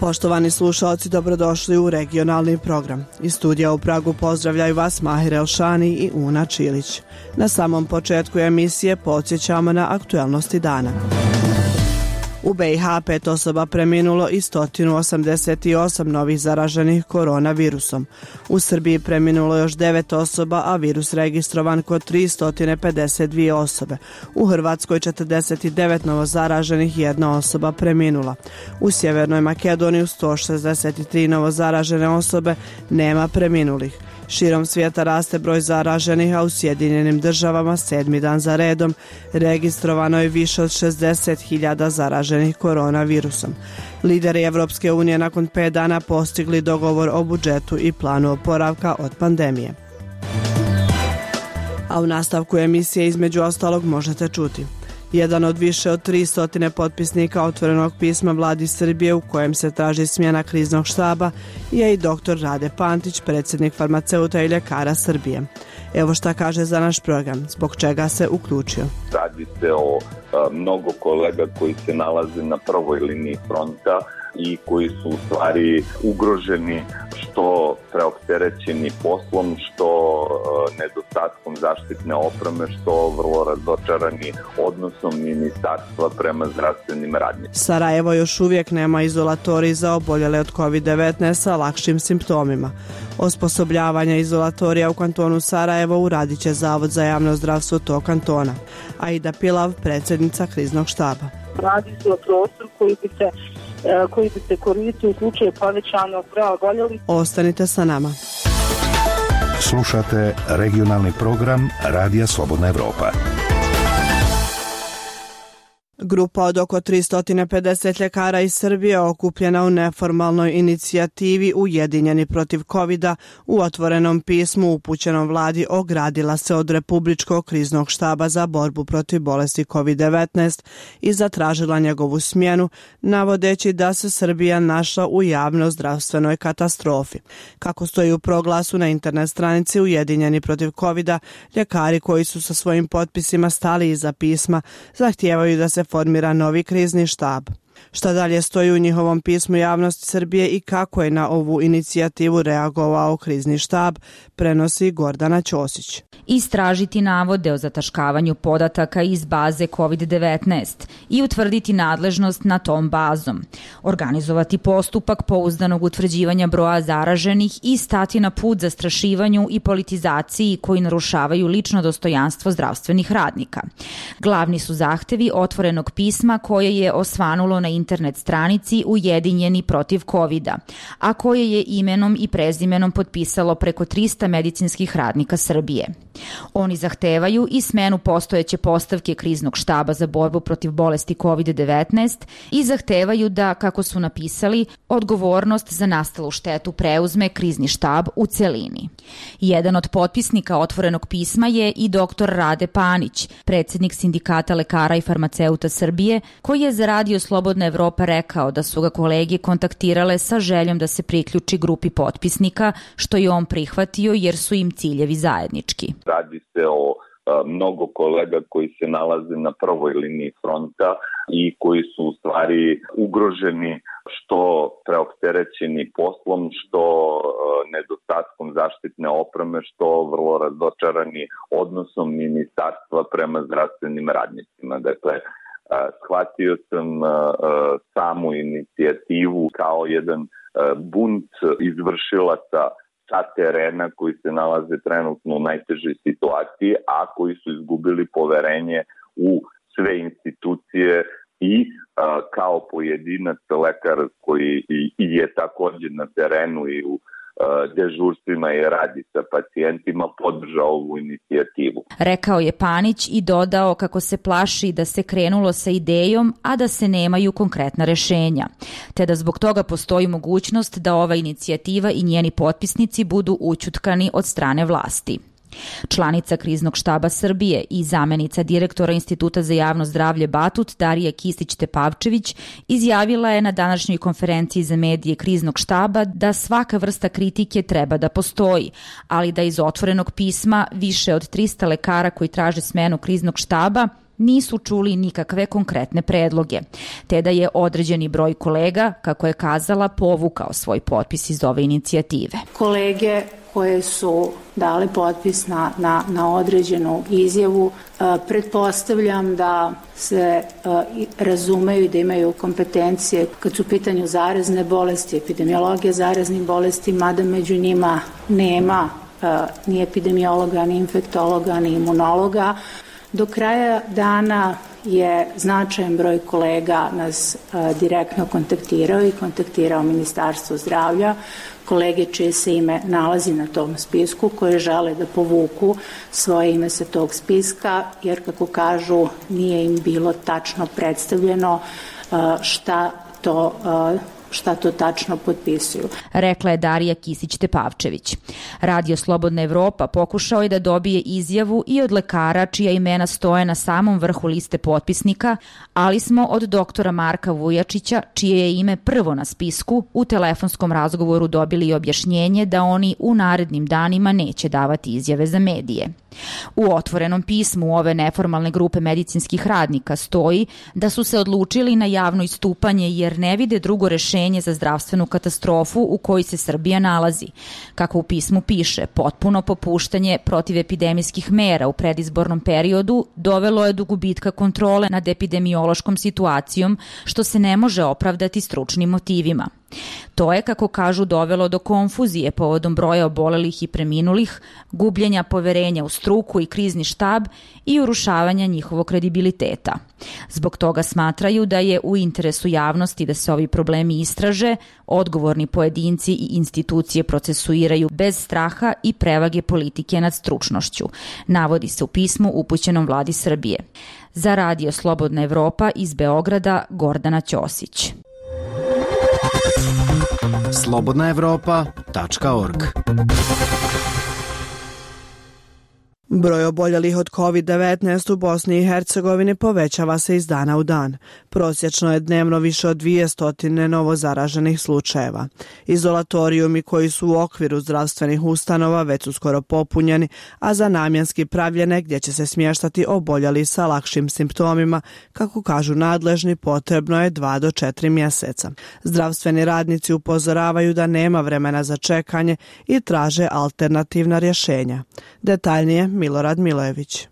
Poštovani slušalci, dobrodošli u regionalni program. Iz studija u Pragu pozdravljaju vas Mahir Elšani i Una Čilić. Na samom početku emisije podsjećamo na aktuelnosti dana. U BiH 5 osoba preminulo i 188 novih zaraženih koronavirusom. U Srbiji preminulo još 9 osoba, a virus registrovan kod 352 osobe. U Hrvatskoj 49 novo zaraženih, 1 osoba preminula. U Sjevernoj Makedoniji 163 novo zaražene osobe, nema preminulih. Širom svijeta raste broj zaraženih, a u Sjedinjenim državama 7. dan za redom registrovano je više od 60.000 zaraženih koronavirusom. Lideri Evropske unije nakon 5 dana postigli dogovor o budžetu i planu oporavka od pandemije. A u nastavku emisije između ostalog možete čuti. Jedan od više od 300 potpisnika otvorenog pisma vladi Srbije u kojem se traži smjena kriznog štaba je i dr. Rade Pantić, predsjednik farmaceuta i ljekara Srbije. Evo šta kaže za naš program, zbog čega se uključio. Radi se o mnogo kolega koji se nalaze na prvoj liniji fronta i koji su u stvari ugroženi što preopterećeni poslom, što nedostatkom zaštitne opreme, što vrlo razočarani odnosom ministarstva prema zdravstvenim radnicima. Sarajevo još uvijek nema izolatorij za oboljele od COVID-19 sa lakšim simptomima. Osposobljavanje izolatorija u kantonu Sarajevo uradit će Zavod za javno zdravstvo tog kantona. Aida Pilav, predsjednica kriznog štaba. Radi se o prostoru koji bi se koristio u slučaju povećanog broja oboljelih. Ostanite sa nama. Slušate regionalni program Radija Slobodna Evropa. Grupa od oko 350 ljekara iz Srbije okupljena u neformalnoj inicijativi Ujedinjeni protiv covida u otvorenom pismu upućenom vladi ogradila se od Republičkog kriznog štaba za borbu protiv bolesti COVID-19 i zatražila njegovu smjenu, navodeći da se Srbija našla u javno-zdravstvenoj katastrofi. Kako stoji u proglasu na internet stranici Ujedinjeni protiv covida, ljekari koji su sa svojim potpisima stali iza pisma zahtijevaju da se formira novi krizni štab. Šta dalje stoji u njihovom pismu javnosti Srbije i kako je na ovu inicijativu reagovao krizni štab, prenosi Gordana Ćosić. Istražiti navode o zataškavanju podataka iz baze COVID-19 i utvrditi nadležnost nad tom bazom. Organizovati postupak pouzdanog utvrđivanja broja zaraženih i stati na put zastrašivanju i politizaciji koji narušavaju lično dostojanstvo zdravstvenih radnika. Glavni su zahtevi otvorenog pisma koje je osvanulo na internet stranici Ujedinjeni protiv covida, a koje je imenom i prezimenom potpisalo preko 300 medicinskih radnika Srbije. Oni zahtevaju i smenu postojeće postavke kriznog štaba za borbu protiv bolesti COVID-19 i zahtevaju da, kako su napisali, odgovornost za nastalu štetu preuzme krizni štab u celini. Jedan od potpisnika otvorenog pisma je i dr. Rade Panić, predsjednik Sindikata lekara i farmaceuta Srbije, koji je za Radio Slobodna Evropa rekao da su ga kolege kontaktirale sa željom da se priključi grupi potpisnika, što je on prihvatio jer su im ciljevi zajednički. Radi se o mnogo kolega koji se nalaze na prvoj liniji fronta i koji su u stvari ugroženi što preopterećeni poslom, što nedostatkom zaštitne opreme, što vrlo razočarani odnosom ministarstva prema zdravstvenim radnicima. Dakle, shvatio sam samu inicijativu kao jedan bunt izvršilaca sa terena koji se nalaze trenutno u najtežoj situaciji, a koji su izgubili poverenje u sve institucije i kao pojedinac lekar koji je također na terenu i u dežurstvima i radi sa pacijentima podržao ovu inicijativu. Rekao je Panić i dodao kako se plaši da se krenulo sa idejom, a da se nemaju konkretna rešenja, te da zbog toga postoji mogućnost da ova inicijativa i njeni potpisnici budu ućutkani od strane vlasti. Članica kriznog štaba Srbije i zamenica direktora Instituta za javno zdravlje Batut Darija Kistić-Tepavčević izjavila je na današnjoj konferenciji za medije kriznog štaba da svaka vrsta kritike treba da postoji, ali da iz otvorenog pisma više od 300 lekara koji traže smenu kriznog štaba nisu čuli nikakve konkretne predloge, te da je određeni broj kolega, kako je kazala, povukao svoj potpis iz ove inicijative. Kolege koje su dali potpis na određenu izjavu, pretpostavljam da se razumeju i da imaju kompetencije kad su u pitanju zarazne bolesti, epidemiologije zaraznih bolesti, mada među njima nema ni epidemiologa, ni infektologa, ni imunologa. Do kraja dana je značajan broj kolega nas direktno kontaktirao i kontaktirao Ministarstvo zdravlja, kolege čije se ime nalazi na tom spisku, koje žele da povuku svoje ime sa tog spiska, jer kako kažu nije im bilo tačno predstavljeno šta to tačno potpisuju. Rekla je Darija Kisić-Tepavčević. Radio Slobodna Evropa pokušao je da dobije izjavu i od lekara čija imena stoje na samom vrhu liste potpisnika, ali smo od doktora Marka Vujačića, čije je ime prvo na spisku, u telefonskom razgovoru dobili objašnjenje da oni u narednim danima neće davati izjave za medije. U otvorenom pismu ove neformalne grupe medicinskih radnika stoji da su se odlučili na javno istupanje jer ne vide drugo rešenje za zdravstvenu katastrofu u kojoj se Srbija nalazi. Kako u pismu piše, potpuno popuštanje protivepidemijskih mera u predizbornom periodu dovelo je do gubitka kontrole nad epidemiološkom situacijom, što se ne može opravdati stručnim motivima. To je, kako kažu, dovelo do konfuzije povodom broja obolelih i preminulih, gubljenja poverenja u struku i krizni štab i urušavanja njihovog kredibiliteta. Zbog toga smatraju da je u interesu javnosti da se ovi problemi istraže, odgovorni pojedinci i institucije procesuiraju bez straha i prevage politike nad stručnošću, navodi se u pismu upućenom vladi Srbije. Za Radio Slobodna Evropa iz Beograda, Gordana Ćosić. slobodnaevropa.org. Broj oboljelih od COVID-19 u Bosni i Hercegovini povećava se iz dana u dan. Prosječno je dnevno više od 200 novo zaraženih slučajeva. Izolatorijumi koji su u okviru zdravstvenih ustanova već su skoro popunjeni, a za namjenski pravljene gdje će se smještati oboljeli sa lakšim simptomima, kako kažu nadležni, potrebno je 2 do 4 mjeseca. Zdravstveni radnici upozoravaju da nema vremena za čekanje i traže alternativna rješenja. Detaljnije Milorad Milojević.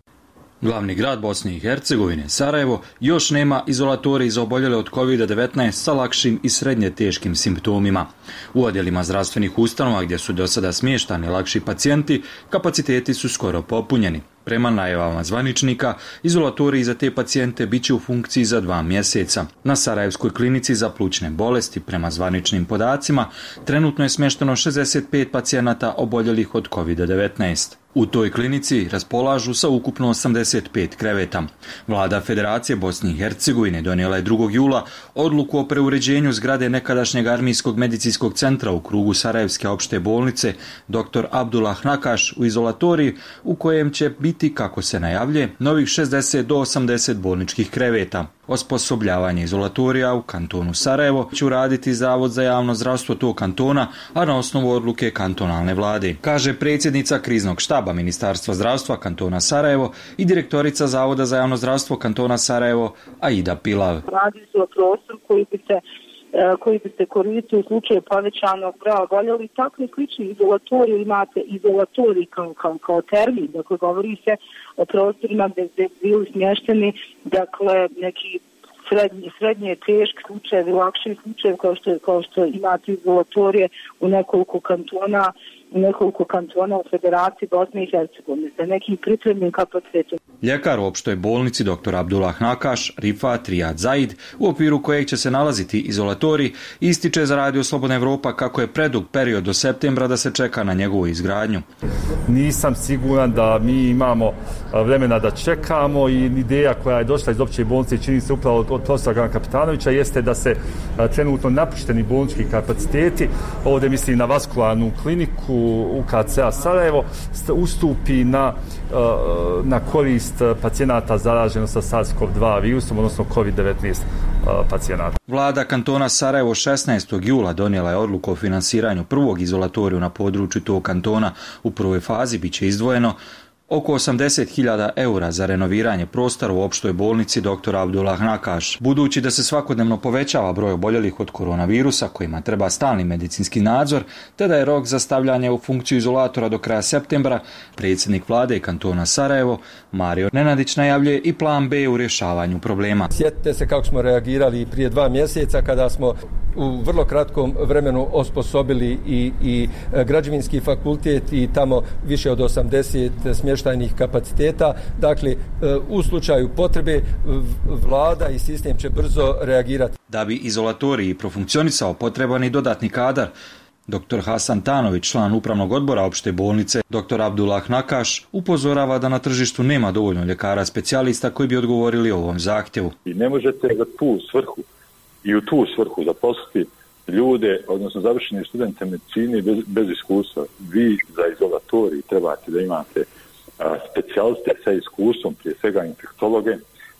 Glavni grad Bosne i Hercegovine, Sarajevo, još nema izolatorij za oboljele od COVID-19 sa lakšim i srednje teškim simptomima. U odjelima zdravstvenih ustanova gdje su do sada smještani lakši pacijenti, kapaciteti su skoro popunjeni. Prema najavama zvaničnika, izolatoriji za te pacijente bit će u funkciji za 2 mjeseca. Na Sarajevskoj klinici za plućne bolesti, prema zvaničnim podacima, trenutno je smješteno 65 pacijenata oboljelih od COVID-19. U toj klinici raspolažu sa ukupno 85 kreveta. Vlada Federacije Bosne i Hercegovine donijela je 2. jula odluku o preuređenju zgrade nekadašnjeg armijskog medicinskog centra u krugu Sarajevske opšte bolnice dr. Abdullah Nakaš u izolatoriji, u kojem će biti, kako se najavlje, novih 60 do 80 bolničkih kreveta. Osposobljavanje izolatorija u kantonu Sarajevo će uraditi Zavod za javno zdravstvo tog kantona, a na osnovu odluke kantonalne vlade, kaže predsjednica kriznog štaba Ministarstva zdravstva kantona Sarajevo i direktorica Zavoda za javno zdravstvo kantona Sarajevo Aida Pilav. Radi se o prostoru koji bi se koristio u slučaju povećanog broja oboljelih. Takvi slični izolatoriji, imate izolatorij kao termin, dakle govori se o prostorima gdje bili smješteni, dakle neki srednje teški slučajevi, lakši slučajevi kao što imate izolatorije u nekoliko kantona u Federaciji Bosne i Hercegovine sa nekim pripremnim kapacitetom. Ljekar u opštoj bolnici dr. Abdullah Nakaš, Rifat Rijad Zaid, u okviru kojeg će se nalaziti izolatorij, ističe za Radio Slobodna Evropa kako je predug period do septembra da se čeka na njegovu izgradnju. Nisam siguran da mi imamo vremena da čekamo i ideja koja je došla iz opće bolnice, čini se upravo od profesora Grana Kapitanovića, jeste da se trenutno napušteni bolnički kapaciteti, ovdje mislim na vaskularnu kliniku UKC-a Sarajevo, ustupi na korist pacijenata zaraženo sa SARS-CoV-2 virusom, odnosno COVID-19 pacijenata. Vlada kantona Sarajevo 16. jula donijela je odluku o finansiranju prvog izolatoriju na području tog kantona. U prvoj fazi biće izdvojeno oko 80.000 eura za renoviranje prostora u opštoj bolnici dr. Abdullah Nakaš. Budući da se svakodnevno povećava broj oboljelih od koronavirusa kojima treba stalni medicinski nadzor, te da je rok za stavljanje u funkciju izolatora do kraja septembra, predsjednik vlade kantona Sarajevo, Mario Nenadić, najavljuje i plan B u rješavanju problema. Sjetite se kako smo reagirali prije 2 mjeseca kada smo u vrlo kratkom vremenu osposobili i građevinski fakultet i tamo više od 80 smještajnih kapaciteta. Dakle, u slučaju potrebe vlada i sistem će brzo reagirati. Da bi izolatorij profunkcionisao, potreban i dodatni kadar. Dr. Hasan Tanović, član upravnog odbora opšte bolnice, dr. Abdullah Nakaš, upozorava da na tržištu nema dovoljno ljekara specijalista koji bi odgovorili ovom zahtjevu. I ne možete za tu svrhu i u tu svrhu zaposliti ljude, odnosno završeni studente medicine bez iskustva. Vi za izolatorij trebate da imate specijaliste sa iskustvom, prije svega infektologe,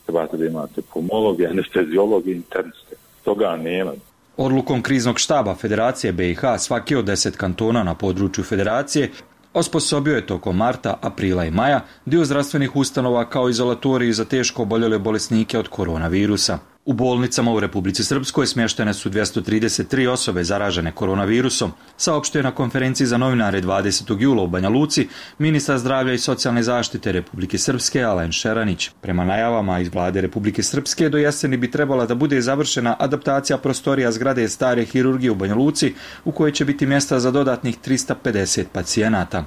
trebate da imate pulmologe, anesteziologe, interniste. Toga nema. Odlukom kriznog štaba Federacije BiH svaki od 10 kantona na području Federacije osposobio je tokom marta, aprila i maja dio zdravstvenih ustanova kao izolatoriji za teško oboljele bolesnike od koronavirusa. U bolnicama u Republici Srpskoj smještene su 233 osobe zaražene koronavirusom, saopštio je na konferenciji za novinare 20. jula u Banja Luci ministar zdravlja i socijalne zaštite Republike Srpske Alen Šeranić. Prema najavama iz vlade Republike Srpske do jeseni bi trebala da bude završena adaptacija prostorija zgrade stare hirurgije u Banja Luci, u kojoj će biti mjesta za dodatnih 350 pacijenata.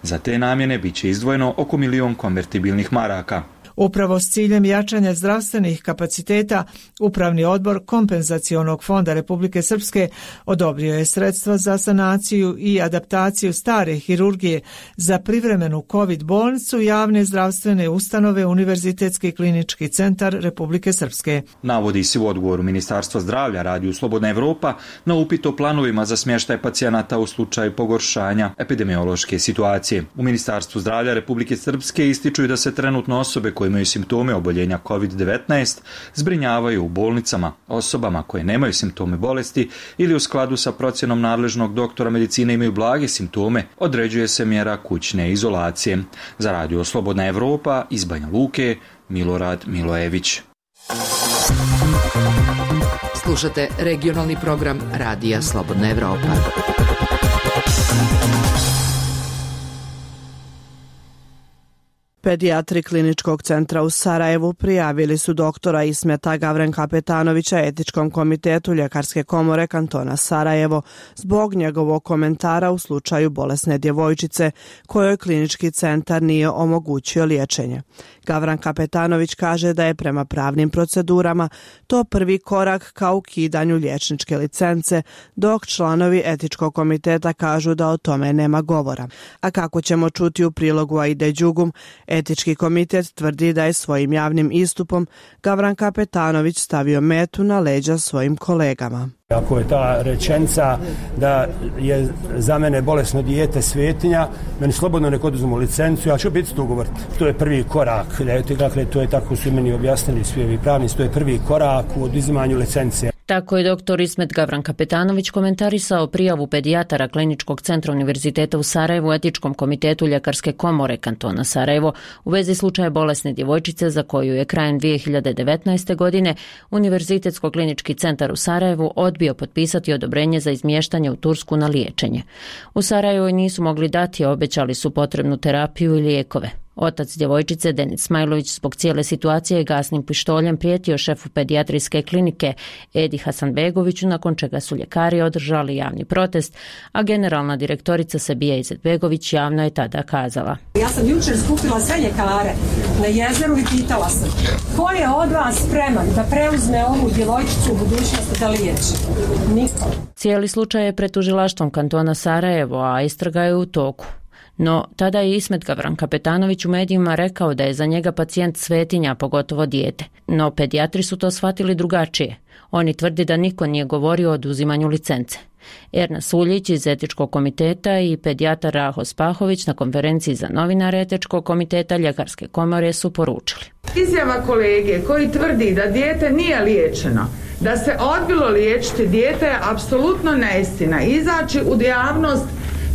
Za te namjene bit će izdvojeno oko 1 milion konvertibilnih maraka. Upravo s ciljem jačanja zdravstvenih kapaciteta, Upravni odbor Kompenzacionog fonda Republike Srpske odobrio je sredstva za sanaciju i adaptaciju stare hirurgije za privremenu COVID bolnicu javne zdravstvene ustanove Univerzitetski klinički centar Republike Srpske. Navodi se u odgovoru Ministarstva zdravlja Radiju Slobodna Evropa na upit o planovima za smještaj pacijenata u slučaju pogoršanja epidemiološke situacije. U Ministarstvu zdravlja Republike Srpske ističu da se trenutno osobe koje imaju simptome oboljenja COVID-19 zbrinjavaju u bolnicama. Osobama koje nemaju simptome bolesti ili u skladu sa procjenom nadležnog doktora medicine imaju blage simptome, određuje se mjera kućne izolacije. Za Radio Slobodna Evropa iz Banja Luke, Milorad Milojević. Slušate regionalni program Radija Slobodna Evropa. Pedijatri Kliničkog centra u Sarajevu prijavili su doktora Ismeta Gavrenkapetanovića Etičkom komitetu Ljekarske komore kantona Sarajevo zbog njegovog komentara u slučaju bolesne djevojčice kojoj klinički centar nije omogućio liječenje. Gavrenkapetanović kaže da je prema pravnim procedurama to prvi korak ka ukidanju liječničke licence, dok članovi Etičkog komiteta kažu da o tome nema govora. A kako ćemo čuti u prilogu Aide Đugum, Etički komitet tvrdi da je svojim javnim istupom Gavrenkapetanović stavio metu na leđa svojim kolegama. Ako je ta rečenica da je za mene bolesno dijete svetinja, meni slobodno nek oduzmu licencu, ja ću biti tu govoriti. To je prvi korak, dakle to je tako su meni objasnili svi ovi pravnici, to je prvi korak u oduzimanju licence. Tako je dr. Ismet Gavrenkapetanović komentarisao prijavu pedijatara Kliničkog centra Univerziteta u Sarajevu Etičkom komitetu Ljekarske komore kantona Sarajevo u vezi slučaja bolesne djevojčice za koju je krajem 2019. godine Univerzitetsko klinički centar u Sarajevu odbio potpisati odobrenje za izmještanje u Tursku na liječenje. U Sarajevu nisu mogli dati, a obećali su potrebnu terapiju i lijekove. Otac djevojčice, Denis Smajlović, zbog cijele situacije gasnim pištoljem prijetio šefu pedijatrijske klinike Edi Hasanbegoviću, nakon čega su ljekari održali javni protest, a generalna direktorica Sabija Izetbegović javno je tada kazala: Ja sam jučer skupila sve ljekare na jezeru i pitala sam ko je od vas spreman da preuzme ovu djevojčicu u budućnosti da liječi? Niko. Cijeli slučaj je pred tužilaštvom kantona Sarajevo, a istraga je u toku. No, tada je Ismet Gavrenkapetanović u medijima rekao da je za njega pacijent svetinja, pogotovo dijete. No, pedijatri su to shvatili drugačije. Oni tvrdi da niko nije govorio o oduzimanju licence. Erna Suljić iz Etičkog komiteta i pedijatar Raho Spahović na konferenciji za novinare Etičkog komiteta Ljekarske komore su poručili: Izjava kolege koji tvrdi da dijete nije liječeno, da se odbilo liječiti dijete je apsolutno neistina. Izaći u javnost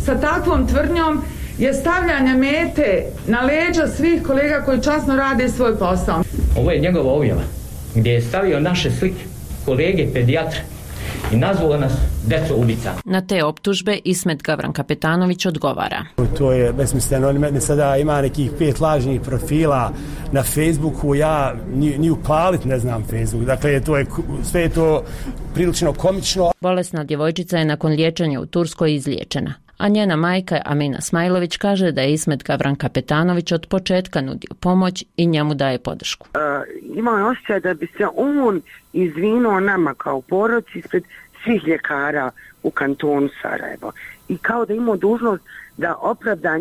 sa takvom tvrdnjom je stavljanje mete na leđa svih kolega koji časno rade svoj posao. Ovo je njegova objava gdje je stavio naše slike, kolege, pedijatra i nazvao nas deco ubica. Na te optužbe Ismet Gavran Kapetanović odgovara. To je besmisleno, oni meni sada ima nekih 5 lažnih profila na Facebooku, ja ni upalit ne znam Facebook, dakle sve je to prilično komično. Bolesna djevojčica je nakon liječenja u Turskoj izliječena, a njena majka Amina Smajlović kaže da je Ismet Gavran Kapetanović od početka nudio pomoć i njemu daje podršku. Imao je osjećaj da bi se on izvinuo nama kao porodici ispred svih ljekara u kantonu Sarajevo i kao da imao dužnost da opravda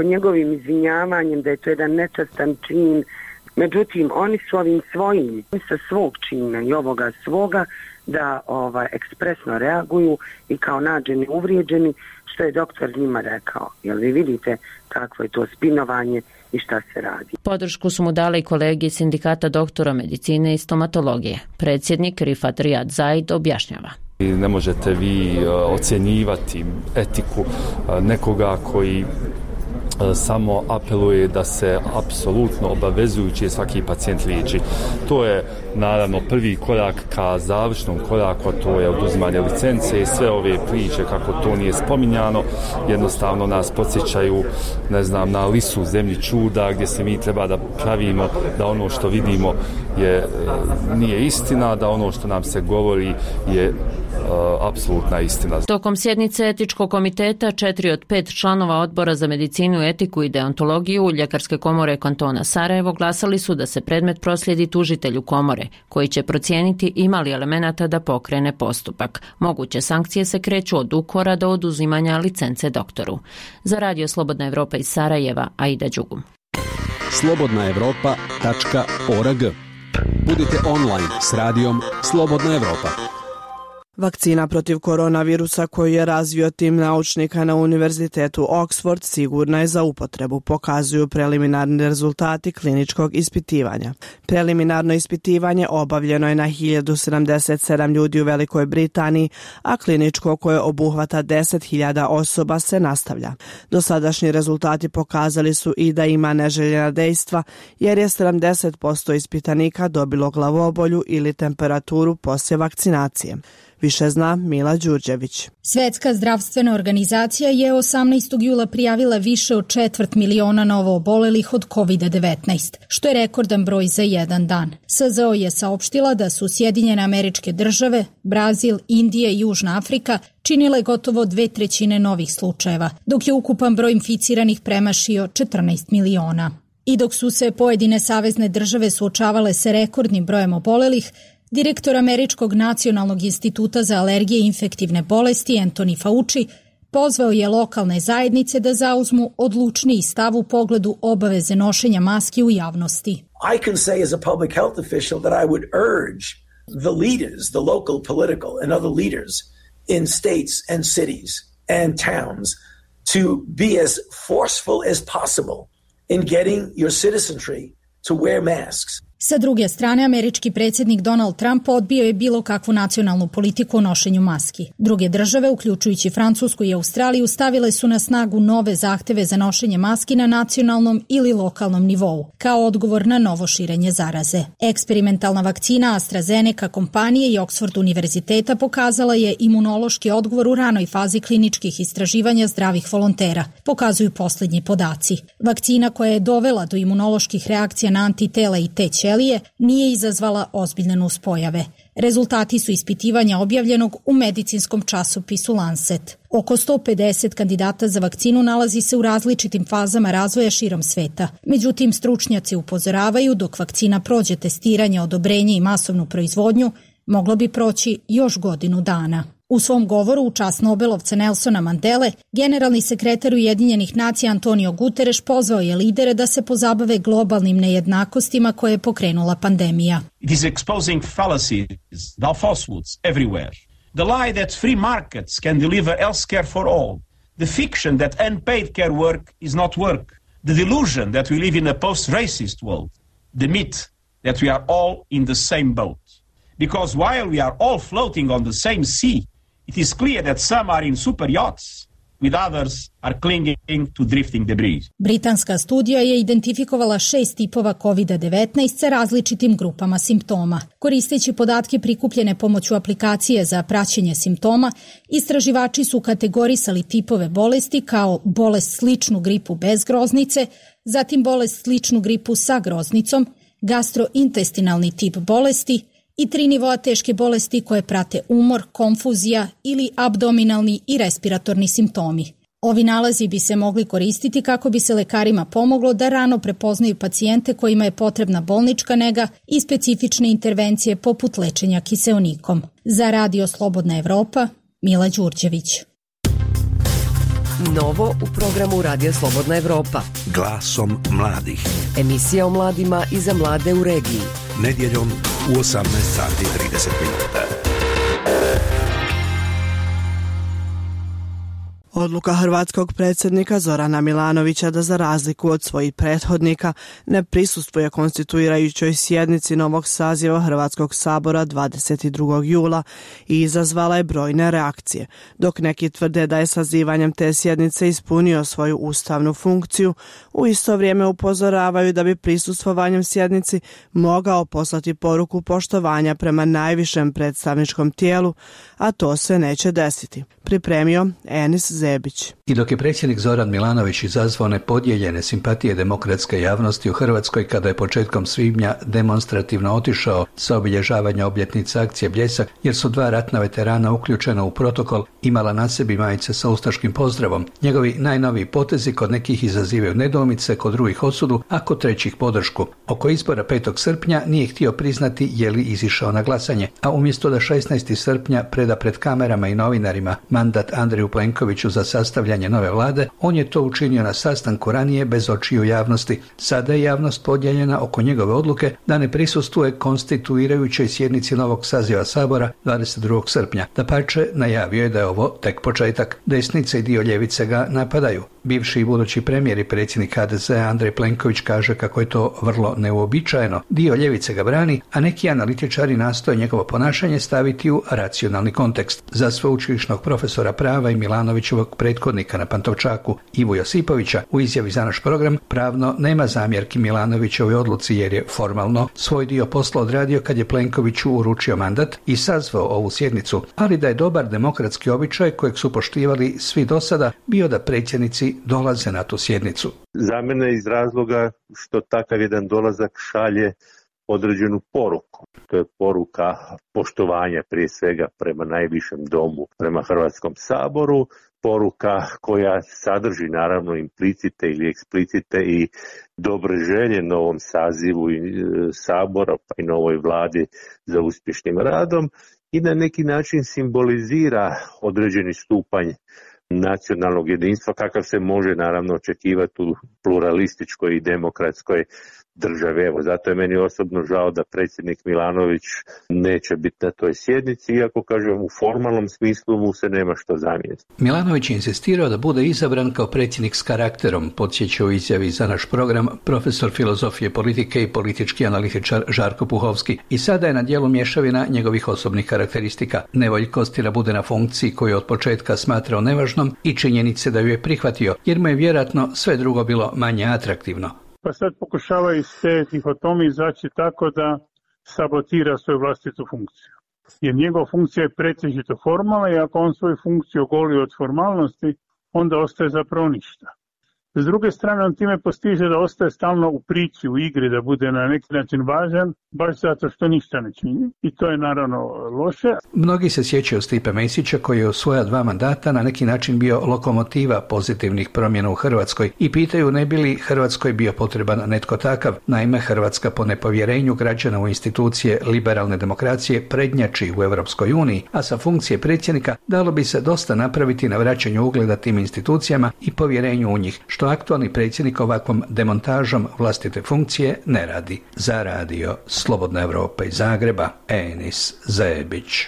njegovim izvinjavanjem, da je to jedan nečastan čin. Međutim, oni su ovim svojim, sa svog čina i ovoga svoga, da ekspresno reaguju i kao nađeni uvrijeđeni, što je doktor njima rekao. Jel vi vidite kakvo je to spinovanje i šta se radi. Podršku su mu dali kolege Sindikata doktora medicine i stomatologije. Predsjednik Rifat Rijad Zaid objašnjava. Ne možete vi ocjenjivati etiku nekoga koji samo apeluje da se apsolutno obavezujući svaki pacijent liječi. To je naravno prvi korak ka završnom koraku, a to je oduzimanje licence i sve ove priče kako to nije spominjano, jednostavno nas podsjećaju, na lisu zemlji čuda gdje se mi treba da pravimo da ono što vidimo nije istina, da ono što nam se govori je apsolutna istina. Tokom sjednice Etičkog komiteta 4 od 5 članova Odbora za medicinu, etiku i deontologiju Ljekarske komore kantona Sarajevo glasali su da se predmet proslijedi tužitelju komore, koji će procijeniti ima li elemenata da pokrene postupak. Moguće sankcije se kreću od ukora do oduzimanja licence doktoru. Za Radio Slobodna Evropa iz Sarajeva, Aida Đugum. slobodnaevropa.org. Budite online s radijom Slobodna Evropa. Vakcina protiv koronavirusa koju je razvio tim naučnika na Univerzitetu Oxford sigurna je za upotrebu, pokazuju preliminarni rezultati kliničkog ispitivanja. Preliminarno ispitivanje obavljeno je na 1077 ljudi u Velikoj Britaniji, a kliničko koje obuhvata 10.000 osoba se nastavlja. Dosadašnji rezultati pokazali su i da ima neželjena dejstva, jer je 70% ispitanika dobilo glavobolju ili temperaturu poslije vakcinacije. Više zna Mila Đurđević. Svetska zdravstvena organizacija je 18. jula prijavila više od 250.000 novoobolelih od COVID-19, što je rekordan broj za jedan dan. SZO je saopštila da su Sjedinjene Američke Države, Brazil, Indija i Južna Afrika činile gotovo 2/3 novih slučajeva, dok je ukupan broj inficiranih premašio 14 miliona. I dok su se pojedine savezne države suočavale sa rekordnim brojem obolelih, direktor Američkog nacionalnog instituta za alergije i infektivne bolesti Anthony Fauci pozvao je lokalne zajednice da zauzmu odlučniji stav u pogledu obaveze nošenja maski u javnosti. I can say as a public health official that I would urge the leaders, the local political and other leaders in states and cities and towns to be as forceful as possible in getting your citizenry to wear masks. Sa druge strane, američki predsjednik Donald Trump odbio je bilo kakvu nacionalnu politiku o nošenju maski. Druge države, uključujući Francusku i Australiju, stavile su na snagu nove zahteve za nošenje maski na nacionalnom ili lokalnom nivou, kao odgovor na novo širenje zaraze. Eksperimentalna vakcina AstraZeneca kompanije i Oxford univerziteta pokazala je imunološki odgovor u ranoj fazi kliničkih istraživanja zdravih volontera, pokazuju posljednji podaci. Vakcina koja je dovela do imunoloških reakcija na antitela i T ćelije nije izazvala ozbiljne nuspojave. Rezultati su ispitivanja objavljenog u medicinskom časopisu Lancet. Oko 150 kandidata za vakcinu nalazi se u različitim fazama razvoja širom sveta. Međutim, stručnjaci upozoravaju dok vakcina prođe testiranje, odobrenje i masovnu proizvodnju, moglo bi proći još godinu dana. U svom govoru u čast Nobelovca Nelsona Mandele, generalni sekretar Ujedinjenih nacija Antonio Guterres pozvao je lidere da se pozabave globalnim nejednakostima koje je pokrenula pandemija. It is exposing fallacies, the falsehoods everywhere. The lie that free markets can deliver health care for all. The fiction that unpaid care work is not work. The delusion that we live in a post-racist world. The myth that we are all in the same boat. Because while we are all floating on the same sea, it is clear that some are in super yachts with others are clinging to drifting debris. Britanska studija je identifikovala 6 tipova COVID-19 sa različitim grupama simptoma. Koristeći podatke prikupljene pomoću aplikacije za praćenje simptoma, istraživači su kategorisali tipove bolesti kao bolest sličnu gripu bez groznice, zatim bolest sličnu gripu sa groznicom, gastrointestinalni tip bolesti i 3 nivoa teške bolesti koje prate umor, konfuzija ili abdominalni i respiratorni simptomi. Ovi nalazi bi se mogli koristiti kako bi se lekarima pomoglo da rano prepoznaju pacijente kojima je potrebna bolnička nega i specifične intervencije poput lečenja kiseonikom. Za Radio Slobodna Evropa, Mila Đurđević. Novo u programu Radija Slobodna Evropa. Glasom mladih. Emisija o mladima i za mlade u regiji. Nedjeljom u 18 sati 30 minuta. Odluka hrvatskog predsjednika Zorana Milanovića da za razliku od svojih prethodnika ne prisustvuje konstituirajućoj sjednici novog saziva Hrvatskog sabora 22. jula i izazvala je brojne reakcije. Dok neki tvrde da je sazivanjem te sjednice ispunio svoju ustavnu funkciju, u isto vrijeme upozoravaju da bi prisustvovanjem sjednici mogao poslati poruku poštovanja prema najvišem predstavničkom tijelu, a to se neće desiti. Pripremio Enis Zebić. I dok je predsjednik Zoran Milanović izazvao nepodijeljene simpatije demokratske javnosti u Hrvatskoj kada je početkom svibnja demonstrativno otišao sa obilježavanja obljetnice akcije Bljesak, jer su 2 ratna veterana uključena u protokol imala na sebi majice sa ustaškim pozdravom. Njegovi najnoviji potezi kod nekih izazivaju nedoumice, kod drugih osudu, a kod trećih podršku. Oko izbora 5. srpnja nije htio priznati je li izišao na glasanje, a umjesto da 16. srpnja preda pred kamerama i novinarima mandat Andreju Plenkoviću za sastavljanje nove vlade, on je to učinio na sastanku ranije bez očiju javnosti. Sada je javnost podijeljena oko njegove odluke da ne prisustvuje konstituirajućoj sjednici novog saziva Sabora 22. srpnja. Dapače, najavio je da je ovo tek početak. Desnica i dio ljevice ga napadaju. Bivši i budući premijer i predsjednik HDZ-a Andrej Plenković kaže kako je to vrlo neuobičajeno. Dio ljevice ga brani, a neki analitičari nastoje njegovo ponašanje staviti u racionalni kontekst. Za sveučilišnog profesora prava i Milanovićevog prethodnika na Pantovčaku Ivu Josipovića u izjavi za naš program pravno nema zamjerki Milanovićevoj odluci jer je formalno svoj dio posla odradio kad je Plenkoviću uručio mandat i sazvao ovu sjednicu, ali da je dobar demokratski običaj kojeg su poštivali svi do sada bio da predsjednici dolaze na tu sjednicu. Za mene iz razloga što takav jedan dolazak šalje određenu poruku. To je poruka poštovanja prije svega prema najvišem domu, prema Hrvatskom saboru, poruka koja sadrži naravno implicite ili eksplicite i dobre želje novom sazivu i sabora pa i novoj vladi za uspješnim radom i na neki način simbolizira određeni stupanj nacionalnog jedinstva kakav se može naravno očekivati u pluralističkoj i demokratskoj države. Evo, zato je meni osobno žao da predsjednik Milanović neće biti na toj sjednici, iako kažem u formalnom smislu mu se nema što zamjeriti. Milanović je insistirao da bude izabran kao predsjednik s karakterom, podsjeća u izjavi za naš program profesor filozofije politike i politički analitičar Žarko Puhovski. I sada je na djelu mješavina njegovih osobnih karakteristika. Nevoljkosti da bude na funkciji koju je od početka smatrao nevažnom i činjenice da ju je prihvatio, jer mu je vjerojatno sve drugo bilo manje atraktivno. Pa sad pokušava iz te dihotomije izaći tako da sabotira svoju vlastitu funkciju. Jer njegova funkcija je pretežito formalna i ako on svoju funkciju ogoli od formalnosti, onda ostaje zapravo ništa. S druge strane, on time postiže da ostaje stalno u priči, u igri, da bude na neki način važan, baš zato što ništa ne čini. I to je naravno loše. Mnogi se sjećaju Stipe Mesića koji je u svoja 2 mandata na neki način bio lokomotiva pozitivnih promjena u Hrvatskoj i pitaju ne bi li Hrvatskoj bio potreban netko takav. Naime, Hrvatska po nepovjerenju građana u institucije liberalne demokracije prednjači u Europskoj uniji, a sa funkcije predsjednika dalo bi se dosta napraviti na vraćanju ugleda tim institucijama i povjerenju u njih, što aktualni predsjednik ovakvom demontažom vlastite funkcije ne radi. Za Radio Slobodna Evropa iz Zagreba, Enis Zebić.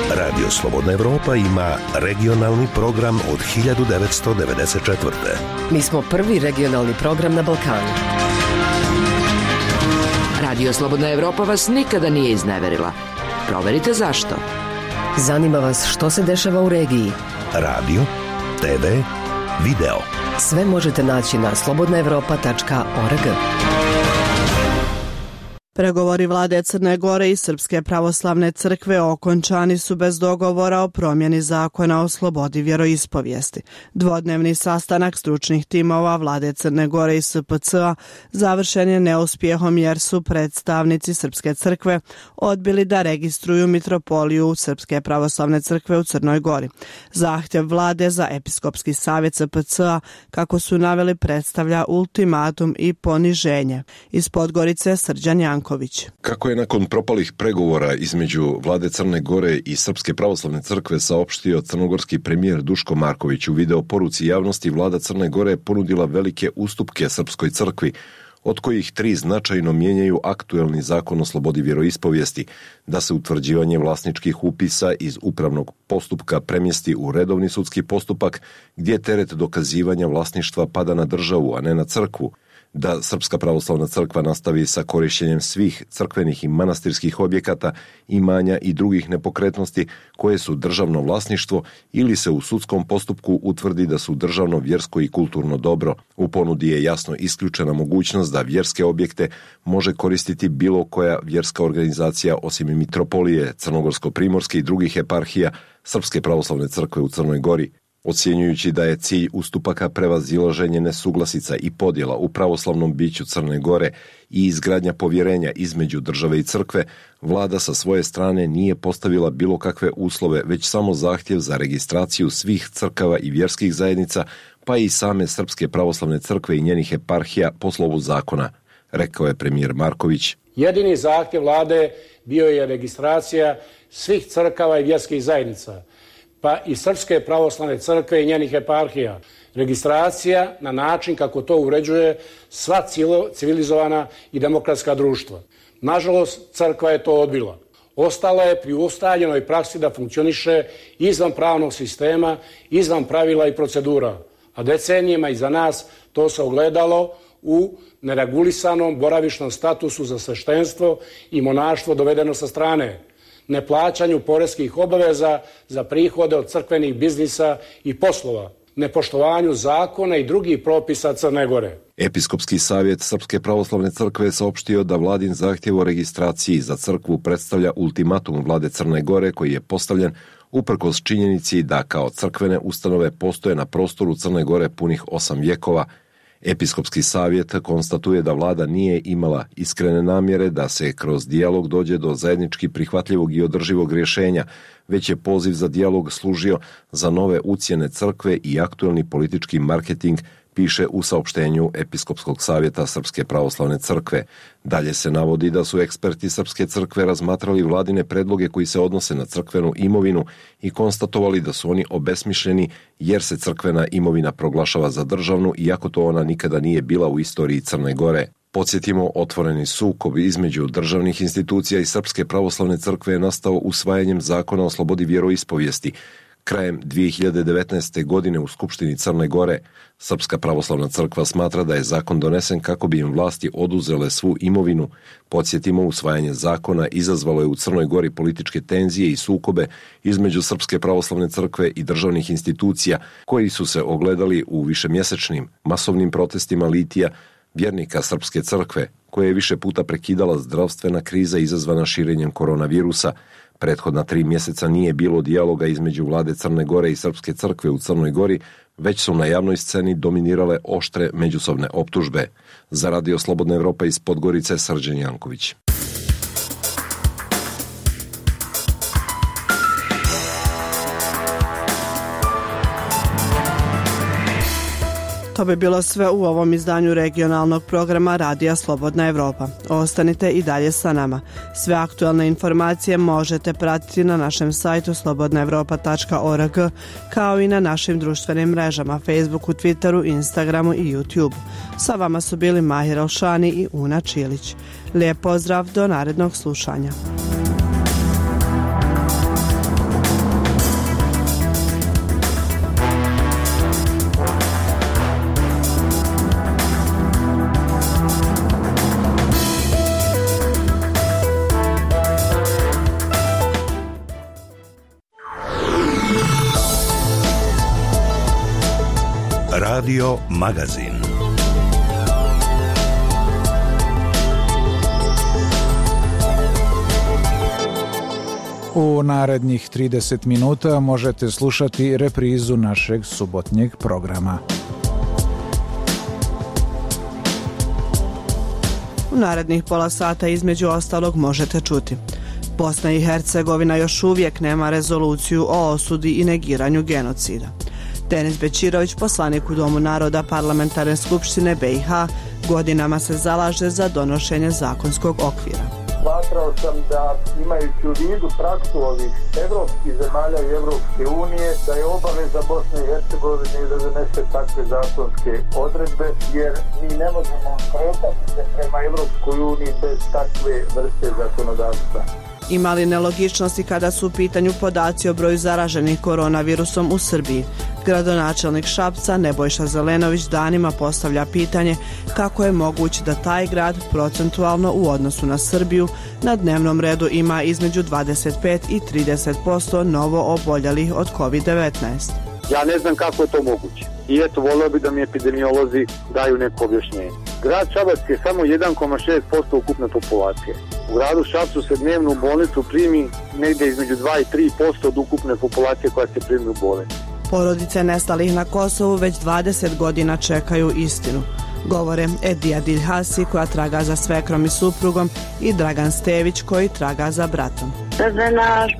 Radio Slobodna Evropa ima regionalni program od 1994. Mi smo prvi regionalni program na Balkanu. Radio Slobodna Evropa vas nikada nije izneverila. Proverite zašto. Zanima vas što se dešava u regiji? Radio, TV, video. Sve možete naći na slobodnaevropa.org. Pregovori vlade Crne Gore i Srpske pravoslavne crkve okončani su bez dogovora o promjeni zakona o slobodi vjeroispovijesti. Dvodnevni sastanak stručnih timova vlade Crne Gore i SPC-a završen je neuspjehom jer su predstavnici Srpske crkve odbili da registruju mitropoliju Srpske pravoslavne crkve u Crnoj Gori. Zahtjev vlade za episkopski savjet SPC-a, kako su naveli, predstavlja ultimatum i poniženje. Iz Podgorice Srđan Janković. Kako je nakon propalih pregovora između vlade Crne Gore i Srpske pravoslavne crkve saopštio crnogorski premijer Duško Marković u video poruci javnosti, vlada Crne Gore ponudila velike ustupke Srpskoj crkvi, od kojih 3 značajno mijenjaju aktuelni zakon o slobodi vjeroispovijesti, da se utvrđivanje vlasničkih upisa iz upravnog postupka premjesti u redovni sudski postupak, gdje teret dokazivanja vlasništva pada na državu, a ne na crkvu, da Srpska pravoslavna crkva nastavi sa korištenjem svih crkvenih i manastirskih objekata, imanja i drugih nepokretnosti koje su državno vlasništvo ili se u sudskom postupku utvrdi da su državno, vjersko i kulturno dobro. U ponudi je jasno isključena mogućnost da vjerske objekte može koristiti bilo koja vjerska organizacija osim mitropolije, Crnogorsko-primorske i drugih eparhija Srpske pravoslavne crkve u Crnoj Gori. Ocjenjujući da je cilj ustupaka prevazilaženje nesuglasica i podjela u pravoslavnom biću Crne Gore i izgradnja povjerenja između države i crkve, vlada sa svoje strane nije postavila bilo kakve uslove, već samo zahtjev za registraciju svih crkava i vjerskih zajednica, pa i same Srpske pravoslavne crkve i njenih eparhija po slovu zakona, rekao je premijer Marković. Jedini zahtjev vlade bio je registracija svih crkava i vjerskih zajednica, pa i Srpske pravoslavne crkve i njenih eparhija. Registracija na način kako to uređuje sva civilizovana i demokratska društva. Nažalost, crkva je to odbila. Ostala je pri ustaljenoj praksi da funkcioniše izvan pravnog sistema, izvan pravila i procedura. A decenijima iza nas to se ogledalo u neregulisanom boravišnom statusu za sveštenstvo i monaštvo dovedeno sa strane, neplaćanju poreskih obaveza za prihode od crkvenih biznisa i poslova, nepoštovanju zakona i drugih propisa Crne Gore. Episkopski savjet Srpske pravoslavne crkve je saopštio da vladin zahtjev o registraciji za crkvu predstavlja ultimatum vlade Crne Gore koji je postavljen uprkos činjenici da kao crkvene ustanove postoje na prostoru Crne Gore punih 8 vjekova. Episkopski savjet konstatuje da vlada nije imala iskrene namjere da se kroz dijalog dođe do zajednički prihvatljivog i održivog rješenja, već je poziv za dijalog služio za nove ucjene crkve i aktuelni politički marketing, piše u saopštenju Episkopskog savjeta Srpske pravoslavne crkve. Dalje se navodi da su eksperti Srpske crkve razmatrali vladine predloge koji se odnose na crkvenu imovinu i konstatovali da su oni obesmišljeni jer se crkvena imovina proglašava za državnu, iako to ona nikada nije bila u istoriji Crne Gore. Podsjetimo, otvoreni sukob između državnih institucija i Srpske pravoslavne crkve je nastao usvajanjem zakona o slobodi vjeroispovijesti. Krajem 2019. godine u Skupštini Crne Gore, Srpska pravoslavna crkva smatra da je zakon donesen kako bi im vlasti oduzele svu imovinu. Podsjetimo, usvajanje zakona izazvalo je u Crnoj Gori političke tenzije i sukobe između Srpske pravoslavne crkve i državnih institucija, koji su se ogledali u višemjesečnim masovnim protestima litija vjernika Srpske crkve, koje je više puta prekidala zdravstvena kriza izazvana širenjem koronavirusa. Prethodna 3 mjeseca nije bilo dijaloga između vlade Crne Gore i Srpske crkve u Crnoj Gori, već su na javnoj sceni dominirale oštre međusobne optužbe. Za Radio Slobodna Evropa iz Podgorice, Srđan Janković. To bi bilo sve u ovom izdanju regionalnog programa Radija Slobodna Evropa. Ostanite i dalje sa nama. Sve aktualne informacije možete pratiti na našem sajtu slobodnaevropa.org, kao i na našim društvenim mrežama Facebooku, Twitteru, Instagramu i YouTube. Sa vama su bili Mahir Alšani i Una Čilić. Lijep pozdrav, do narednog slušanja. Radio Magazin. U narednih 30 minuta možete slušati reprizu našeg subotnjeg programa. U narednih pola sata između ostalog možete čuti: Bosna i Hercegovina još uvijek nema rezoluciju o osudi i negiranju genocida. Denis Bećirović, poslanik u Domu naroda Parlamentarne skupštine BiH, godinama se zalaže za donošenje zakonskog okvira. Smatrao sam da, imajući u vidu praksu ovih evropskih zemalja i Evropske unije, da je obaveza Bosne i Hercegovine da donese takve zakonske odredbe, jer mi ne možemo kretati se prema Evropskoj uniji bez takve vrste zakonodavstva. Ima li nelogičnosti kada su u pitanju podaci o broju zaraženih koronavirusom u Srbiji? Gradonačelnik Šapca Nebojša Zelenović danima postavlja pitanje kako je moguće da taj grad procentualno u odnosu na Srbiju na dnevnom redu ima između 25 i 30% novo oboljelih od COVID-19. Ja ne znam kako je to moguće. I eto, volio bi da mi epidemiolozi daju neko objašnjenje. Grad Šabac je samo 1,6% ukupne populacije. U gradu Šapcu se dnevno u bolnicu primi negdje između 2 i 3% od ukupne populacije koja se primi u bolnicu. Porodice nestalih na Kosovu već 20 godina čekaju istinu, govore Edija Diljhasi koja traga za svekrom i suprugom i Dragan Stević koji traga za bratom.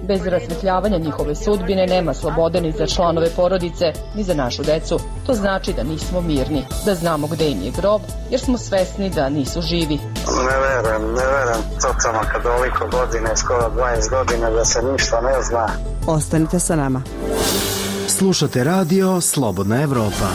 Bez rasvetljavanja njihove sudbine nema slobode ni za članove porodice, ni za našu decu. To znači da nismo mirni, da znamo gde im je grob, jer smo svesni da nisu živi. Ne verujem, totalno kad ovoliko godine, skoro 20 godina da se ništa ne zna. Ostanite sa nama. Slušate radio Slobodna Evropa.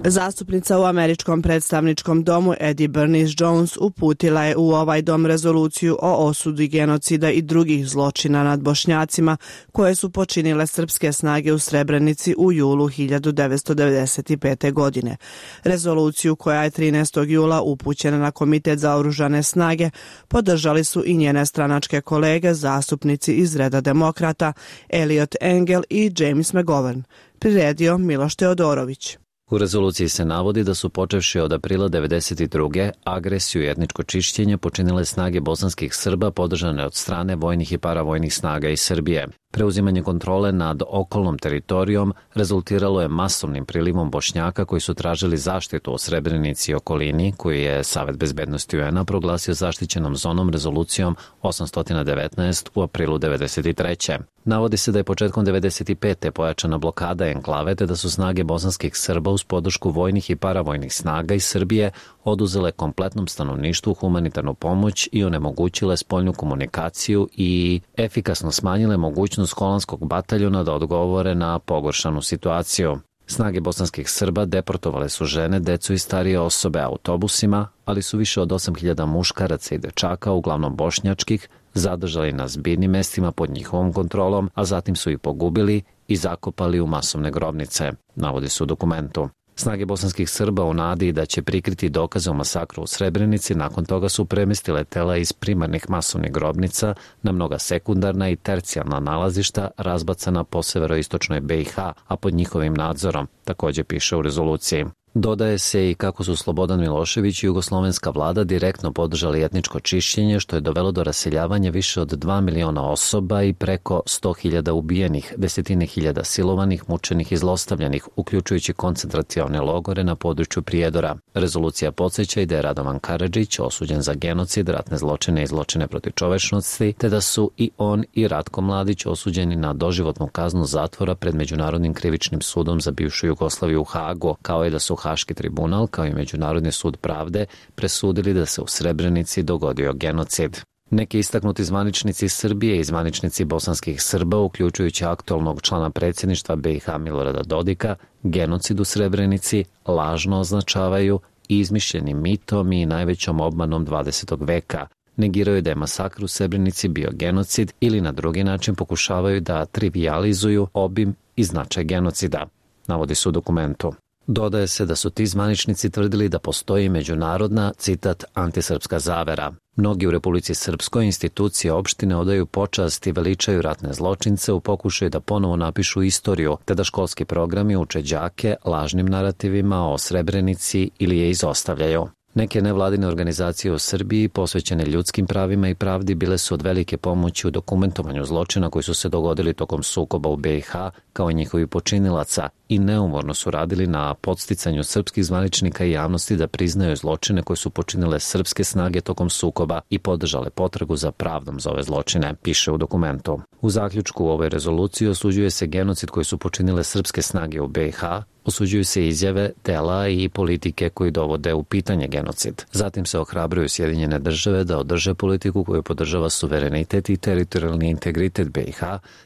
Zastupnica u Američkom predstavničkom domu Eddie Bernice Jones uputila je u ovaj dom rezoluciju o osudi genocida i drugih zločina nad Bošnjacima koje su počinile srpske snage u Srebrenici u julu 1995. godine. Rezoluciju koja je 13. jula upućena na Komitet za oružane snage podržali su i njene stranačke kolege, zastupnici iz reda demokrata Eliot Engel i James McGovern. Priredio Miloš Teodorović. U rezoluciji se navodi da su počevši od aprila 1992. agresiju i etničko čišćenje počinile snage bosanskih Srba podržane od strane vojnih i paravojnih snaga iz Srbije. Preuzimanje kontrole nad okolnom teritorijom rezultiralo je masovnim prilivom Bošnjaka koji su tražili zaštitu o Srebrenici i okolini, koju je Savet bezbednosti UN-a proglasio zaštićenom zonom rezolucijom 819 u aprilu 1993. Navodi se da je početkom 1995. pojačana blokada enklave te da su snage bosanskih Srba uz podršku vojnih i paravojnih snaga iz Srbije oduzele kompletnom stanovništvu humanitarnu pomoć i onemogućile spoljnu komunikaciju i efikasno smanjile mogućnost holandskog bataljona da odgovore na pogoršanu situaciju. Snage bosanskih Srba deportovale su žene, decu i starije osobe autobusima, ali su više od 8.000 muškaraca i dečaka, uglavnom bošnjačkih, zadržali na zbirnim mestima pod njihovom kontrolom, a zatim su ih pogubili i zakopali u masovne grobnice, navodi se u dokumentu. Snage bosanskih Srba u nadi da će prikriti dokaze o masakru u Srebrenici nakon toga su premestile tela iz primarnih masovnih grobnica na mnoga sekundarna i tercijalna nalazišta razbacana po severoistočnoj BiH, a pod njihovim nadzorom, također piše u rezoluciji. Dodaje se i kako su Slobodan Milošević i jugoslovenska vlada direktno podržali etničko čišćenje, što je dovelo do raseljavanja više od 2 miliona osoba i preko 100.000 ubijenih, desetine hiljada silovanih, mučenih i zlostavljanih, uključujući koncentracione logore na području Prijedora. Rezolucija podsjeća i da je Radovan Karadžić osuđen za genocid, ratne zločine i zločine protiv čovečnosti, te da su i on i Ratko Mladić osuđeni na doživotnu kaznu zatvora pred Međunarodnim krivičnim sudom za bivšu Jugoslaviju u Hagu, kao i da su Haški tribunal, kao i Međunarodni sud pravde, presudili da se u Srebrenici dogodio genocid. Neki istaknuti zvaničnici Srbije i zvaničnici bosanskih Srba, uključujući aktualnog člana predsjedništva BiH Milorada Dodika, genocid u Srebrenici lažno označavaju izmišljenim mitom i najvećom obmanom 20. veka. Negiraju da je masakr u Srebrenici bio genocid ili na drugi način pokušavaju da trivijalizuju obim i značaj genocida, navodi se u dokumentu. Dodaje se da su ti zvaničnici tvrdili da postoji međunarodna, citat, antisrpska zavera. Mnogi u Republici Srpskoj institucije opštine odaju počast i veličaju ratne zločince u pokušaju da ponovo napišu istoriju, te da školski programi uče đake lažnim narativima o Srebrenici ili je izostavljaju. Neke nevladine organizacije u Srbiji posvećene ljudskim pravima i pravdi bile su od velike pomoći u dokumentovanju zločina koji su se dogodili tokom sukoba u BiH kao i njihovi počinilaca i neumorno su radili na podsticanju srpskih zvaničnika i javnosti da priznaju zločine koje su počinile srpske snage tokom sukoba i podržale potragu za pravdom za ove zločine, piše u dokumentu. U zaključku u ovoj rezoluciji osuđuje se genocid koji su počinile srpske snage u BiH, osuđuju se izjave, dela i politike koji dovode u pitanje genocid. Zatim se ohrabruju Sjedinjene države da održe politiku koju podržava suverenitet i teritorijalni integritet BiH,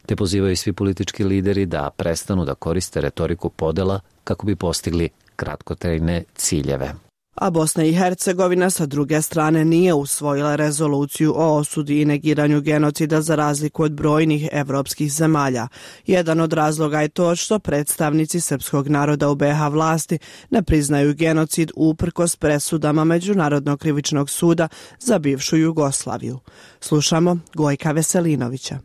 te pozivaju svi politički lideri da prestanu da koriste retoriku podela kako bi postigli kratkotrajne ciljeve. A Bosna i Hercegovina sa druge strane nije usvojila rezoluciju o osudi i negiranju genocida za razliku od brojnih evropskih zemalja. Jedan od razloga je to što predstavnici srpskog naroda u BiH vlasti ne priznaju genocid uprkos presudama Međunarodnog krivičnog suda za bivšu Jugoslaviju. Slušamo Gojka Veselinovića.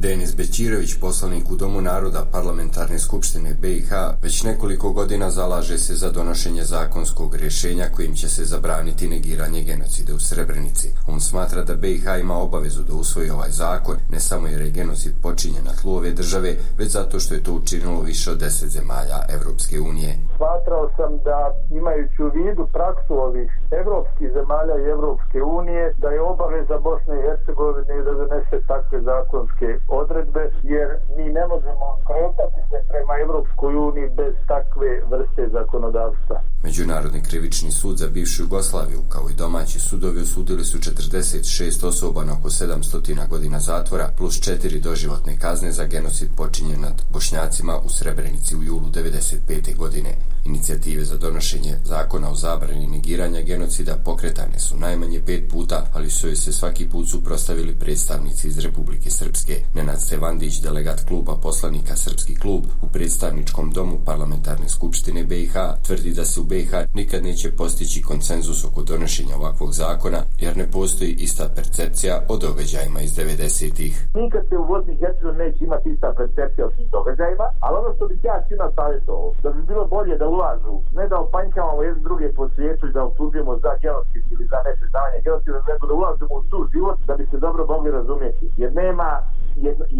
Denis Bećirović, poslanik u Domu naroda Parlamentarne skupštine BiH, već nekoliko godina zalaže se za donošenje zakonskog rješenja kojim će se zabraniti negiranje genocida u Srebrenici. On smatra da BiH ima obavezu da usvoji ovaj zakon, ne samo jer je genocid počinjen na tlu ove države, već zato što je to učinilo više od 10 zemalja Evropske unije. Smatrao sam da, imajući u vidu praksu ovih evropskih zemalja i Evropske unije, da je obaveza Bosne i Hercegovine da donese takve zakonske odredbe, jer mi ne možemo kretati se prema Evropskoj uniji bez takve vrste zakonodavstva. Međunarodni krivični sud za bivšu Jugoslaviju, kao i domaći sudovi, osudili su 46 osoba na oko 700 godina zatvora plus 4 doživotne kazne za genocid počinjen nad Bošnjacima u Srebrenici u julu 1995. godine. Inicijative za donošenje zakona o zabrani negiranja genocida pokretane su najmanje 5 puta, ali su joj se svaki put suprotstavili predstavnici iz Republike Srpske. Nenad Stevandić, delegat kluba poslanika Srpski klub u predstavničkom domu Parlamentarne skupštine BiH, tvrdi da se u BiH nikad neće postići konsenzus oko donošenja ovakvog zakona, jer ne postoji ista percepcija o događajima iz 90-ih. Nikad se u Bosni i Hercegovini neće imati ista percepcija o tim događajima, ali ono što bih ja svima savjetovao, da bi bilo bolje da ulažu, ne da opanjkavamo jedne druge po svijetu i da optužujemo za genocid ili za nepriznavanje genocida, nego da ulažemo u tu život da bi se dobro mogli razumjeti, jer nema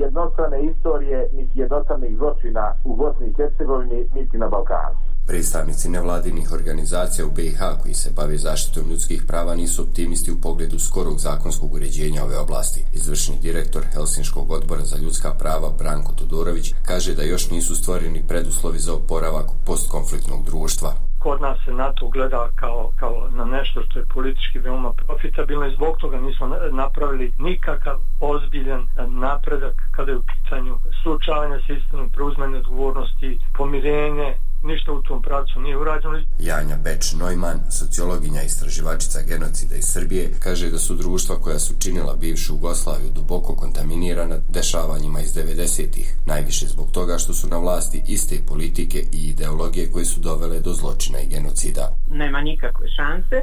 jednostrane istorije niti jednostranih zločina u Bosni i Hercegovini niti na Balkanu. Predstavnici nevladinih organizacija u BiH koji se bave zaštitom ljudskih prava nisu optimisti u pogledu skorog zakonskog uređenja ove oblasti. Izvršni direktor Helsinškog odbora za ljudska prava Branko Todorović kaže da još nisu stvoreni preduslovi za oporavak postkonfliktnog društva. Kod nas se na to gleda kao na nešto što je politički veoma profitabilno i zbog toga nismo napravili nikakav ozbiljan napredak kada je u pitanju suočavanja sa istinom, preuzimanje odgovornosti, pomirenje. Ništa u tom pravcu nije urađeno. Janja Beč-Neumann, sociologinja i istraživačica genocida iz Srbije, kaže da su društva koja su činila bivšu Jugoslaviju duboko kontaminirana dešavanjima iz 90-ih, najviše zbog toga što su na vlasti iste politike i ideologije koje su dovele do zločina i genocida. Nema nikakve šanse,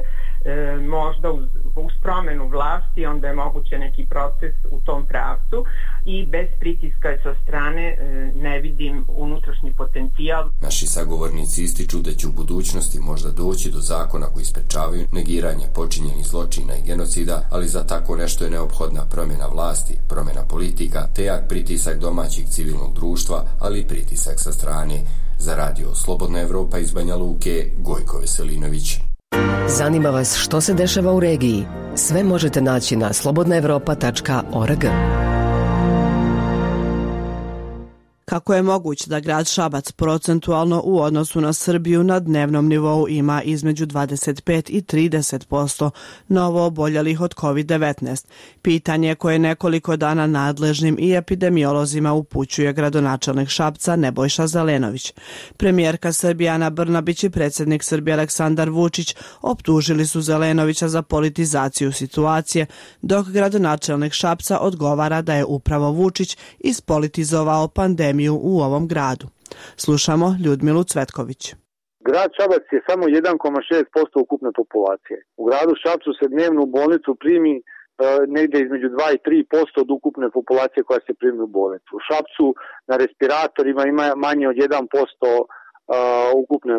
možda uz promjenu vlasti onda je moguće neki proces u tom pravcu i bez pritiska sa strane ne vidim unutrašnji potencijal. Naši sagovornici ističu da će u budućnosti možda doći do zakona koji sprečavaju negiranje počinjenih zločina i genocida, ali za tako nešto je neophodna promjena vlasti, promjena politika, te jak pritisak domaćeg civilnog društva, ali i pritisak sa strane. Za radio Slobodna Evropa iz Banja Luke, Gojko Veselinović. Zanima vas što se dešava u regiji? Sve možete naći na slobodnaevropa.org. Kako je moguće da grad Šabac procentualno u odnosu na Srbiju na dnevnom nivou ima između 25 i 30% novo oboljelih od COVID-19? Pitanje koje nekoliko dana nadležnim i epidemiolozima upućuje gradonačelnik Šapca Nebojša Zelenović. Premijerka Srbije Ana Brnabić i predsjednik Srbije Aleksandar Vučić optužili su Zelenovića za politizaciju situacije, dok gradonačelnik Šapca odgovara da je upravo Vučić ispolitizovao pandemiju u ovom gradu. Slušamo Ljudmilu Cvetković. Grad Šabac je samo 1,6% ukupne populacije. U gradu Šapcu se dnevno u bolnicu primi negdje između 2 i 3% od ukupne populacije koja se primi u bolnicu. U Šapcu na respiratorima ima manje od 1% ukupne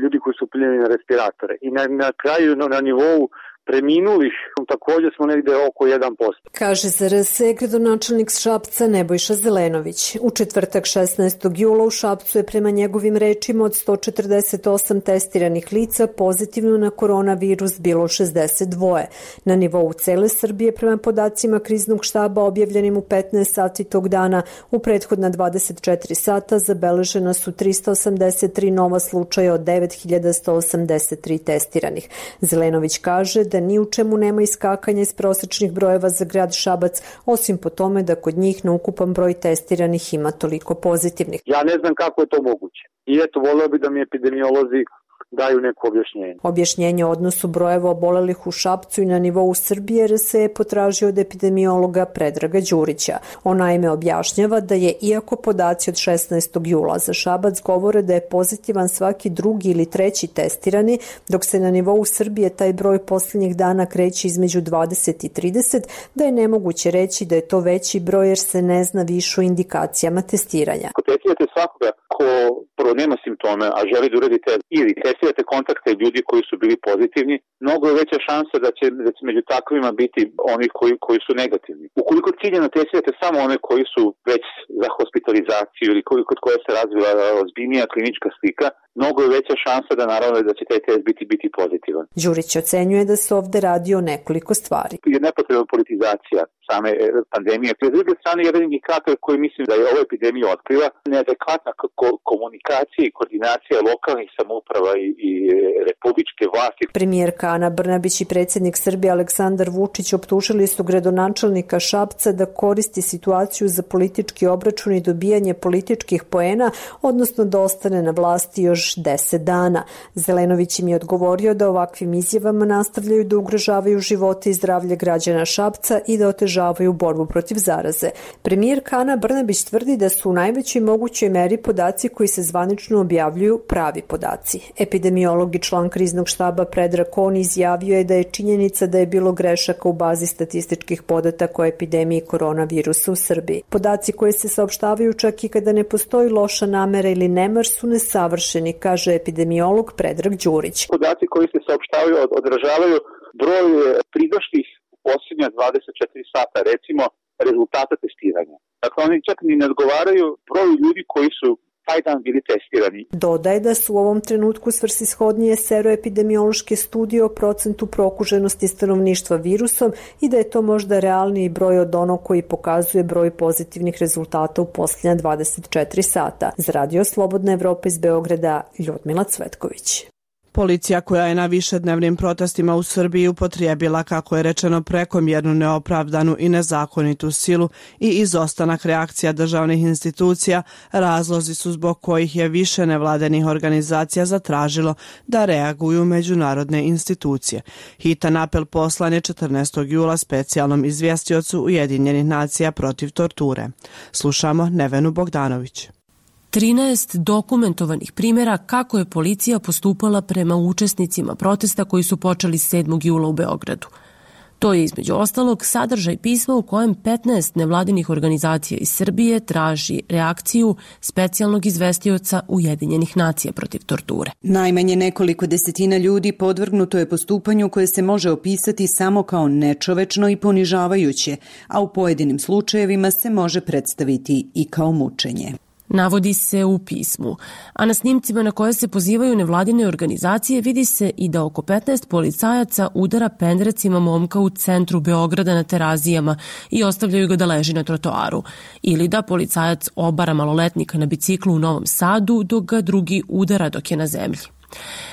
ljudi koji su primljeni na respiratore. I na kraju na nivou preminulih također smo negdje oko 1%. Kaže za RS gradonačelnik Šapca Nebojša Zelenović. U četvrtak 16. jula u Šapcu je prema njegovim rečima od 148 testiranih lica pozitivno na koronavirus bilo 62. Na nivou cele Srbije prema podacima kriznog štaba objavljenim u 15 sati tog dana u prethodna 24 sata zabeležena su 383 nova slučaja od 9183 testiranih. Zelenović kaže da ni u čemu nema iskakanja iz prosečnih brojeva za grad Šabac, osim po tome da kod njih na ukupan broj testiranih ima toliko pozitivnih. Ja ne znam kako je to moguće. I eto, volio bi da mi epidemiolozi daju neko objašnjenje. Objašnjenje o odnosu brojeva obolelih u Šapcu i na nivou Srbije RS je potražio od epidemiologa Predraga Đurića. On naime objašnjava da je, iako podaci od 16. jula za Šabac govore da je pozitivan svaki drugi ili treći testirani, dok se na nivou Srbije taj broj posljednjih dana kreće između 20 i 30, da je nemoguće reći da je to veći broj jer se ne zna više o indikacijama testiranja. Ako testirate svakoga ko prvo nema simptome, a želi da uradite ili testirate kontakte ljudi koji su bili pozitivni, mnogo je veća šansa da će među takvima biti oni koji su negativni. Ukoliko ciljano testirate samo one koji su već za hospitalizaciju ili kod koje se razvila ozbiljnija klinička slika, mnogo je veća šansa da naravno da će taj test biti pozitivan. Đurić ocenjuje da se ovde radi o nekoliko stvari. Je nepotrebna politizacija same pandemije. S druge strane, jedan indikator koji mislim da je ova epidemija otkriva, neadekvatna komunikacija i koordinacija lokalnih samouprava i republičke vlasti. Premijerka Ana Brnabić i predsjednik Srbije Aleksandar Vučić optužili su gradonačelnika Šapca da koristi situaciju za politički obračun i dobijanje političkih poena, odnosno da ostane na vlasti još 10 dana. Zelenović im je odgovorio da ovakvim izjavama nastavljaju da ugrožavaju živote i zdravlje građana Šapca i da otežavaju borbu protiv zaraze. Premijerka Ana Brnabić tvrdi da su u najvećoj mogućoj meri podaci koji se zvanično objavljuju pravi podaci. Epidemiolog i član kriznog štaba Predrag Kon izjavio je da je činjenica da je bilo grešaka u bazi statističkih podataka o epidemiji koronavirusa u Srbiji. Podaci koji se saopštavaju čak i kada ne postoji loša namera ili nemar su nesavršeni, kaže epidemiolog Predrag Đurić. Podaci koji se saopštavaju odražavaju broj pridošlih u posljednja 24 sata, recimo rezultata testiranja. Dakle, oni čak ni ne odgovaraju broju ljudi koji su taj dan bili testirani. Dodaje da su u ovom trenutku svrsishodnije seroepidemiološke studije o procentu prokuženosti stanovništva virusom i da je to možda realniji broj od onog koji pokazuje broj pozitivnih rezultata u posljednja 24 sata. Za Radio Slobodna Evropa iz Beograda, Ljudmila Cvetković. Policija koja je na višednevnim protestima u Srbiji upotrijebila, kako je rečeno, prekomjernu, neopravdanu i nezakonitu silu i izostanak reakcija državnih institucija, razlozi su zbog kojih je više nevladenih organizacija zatražilo da reaguju međunarodne institucije. Hitan apel poslan je 14. jula specijalnom izvjestiocu Ujedinjenih nacija protiv torture. Slušamo Nevenu Bogdanović. 13 dokumentovanih primjera kako je policija postupala prema učesnicima protesta koji su počeli 7. jula u Beogradu. To je između ostalog sadržaj pisma u kojem 15 nevladinih organizacija iz Srbije traži reakciju specijalnog izvestioca Ujedinjenih nacija protiv torture. Najmanje nekoliko desetina ljudi podvrgnuto je postupanju koje se može opisati samo kao nečovečno i ponižavajuće, a u pojedinim slučajevima se može predstaviti i kao mučenje. Navodi se u pismu, a na snimcima na koje se pozivaju nevladine organizacije vidi se i da oko 15 policajaca udara pendrecima momka u centru Beograda na Terazijama i ostavljaju ga da leži na trotoaru, ili da policajac obara maloletnika na biciklu u Novom Sadu dok ga drugi udara dok je na zemlji.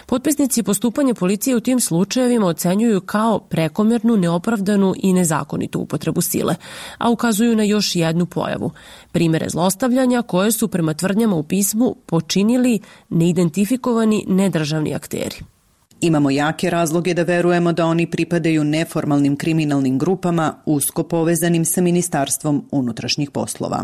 Potpisnici postupanja policije u tim slučajevima ocenjuju kao prekomernu, neopravdanu i nezakonitu upotrebu sile, a ukazuju na još jednu pojavu, primere zlostavljanja koje su prema tvrdnjama u pismu počinili neidentifikovani nedržavni akteri. Imamo jake razloge da verujemo da oni pripadaju neformalnim kriminalnim grupama usko povezanim sa Ministarstvom unutrašnjih poslova.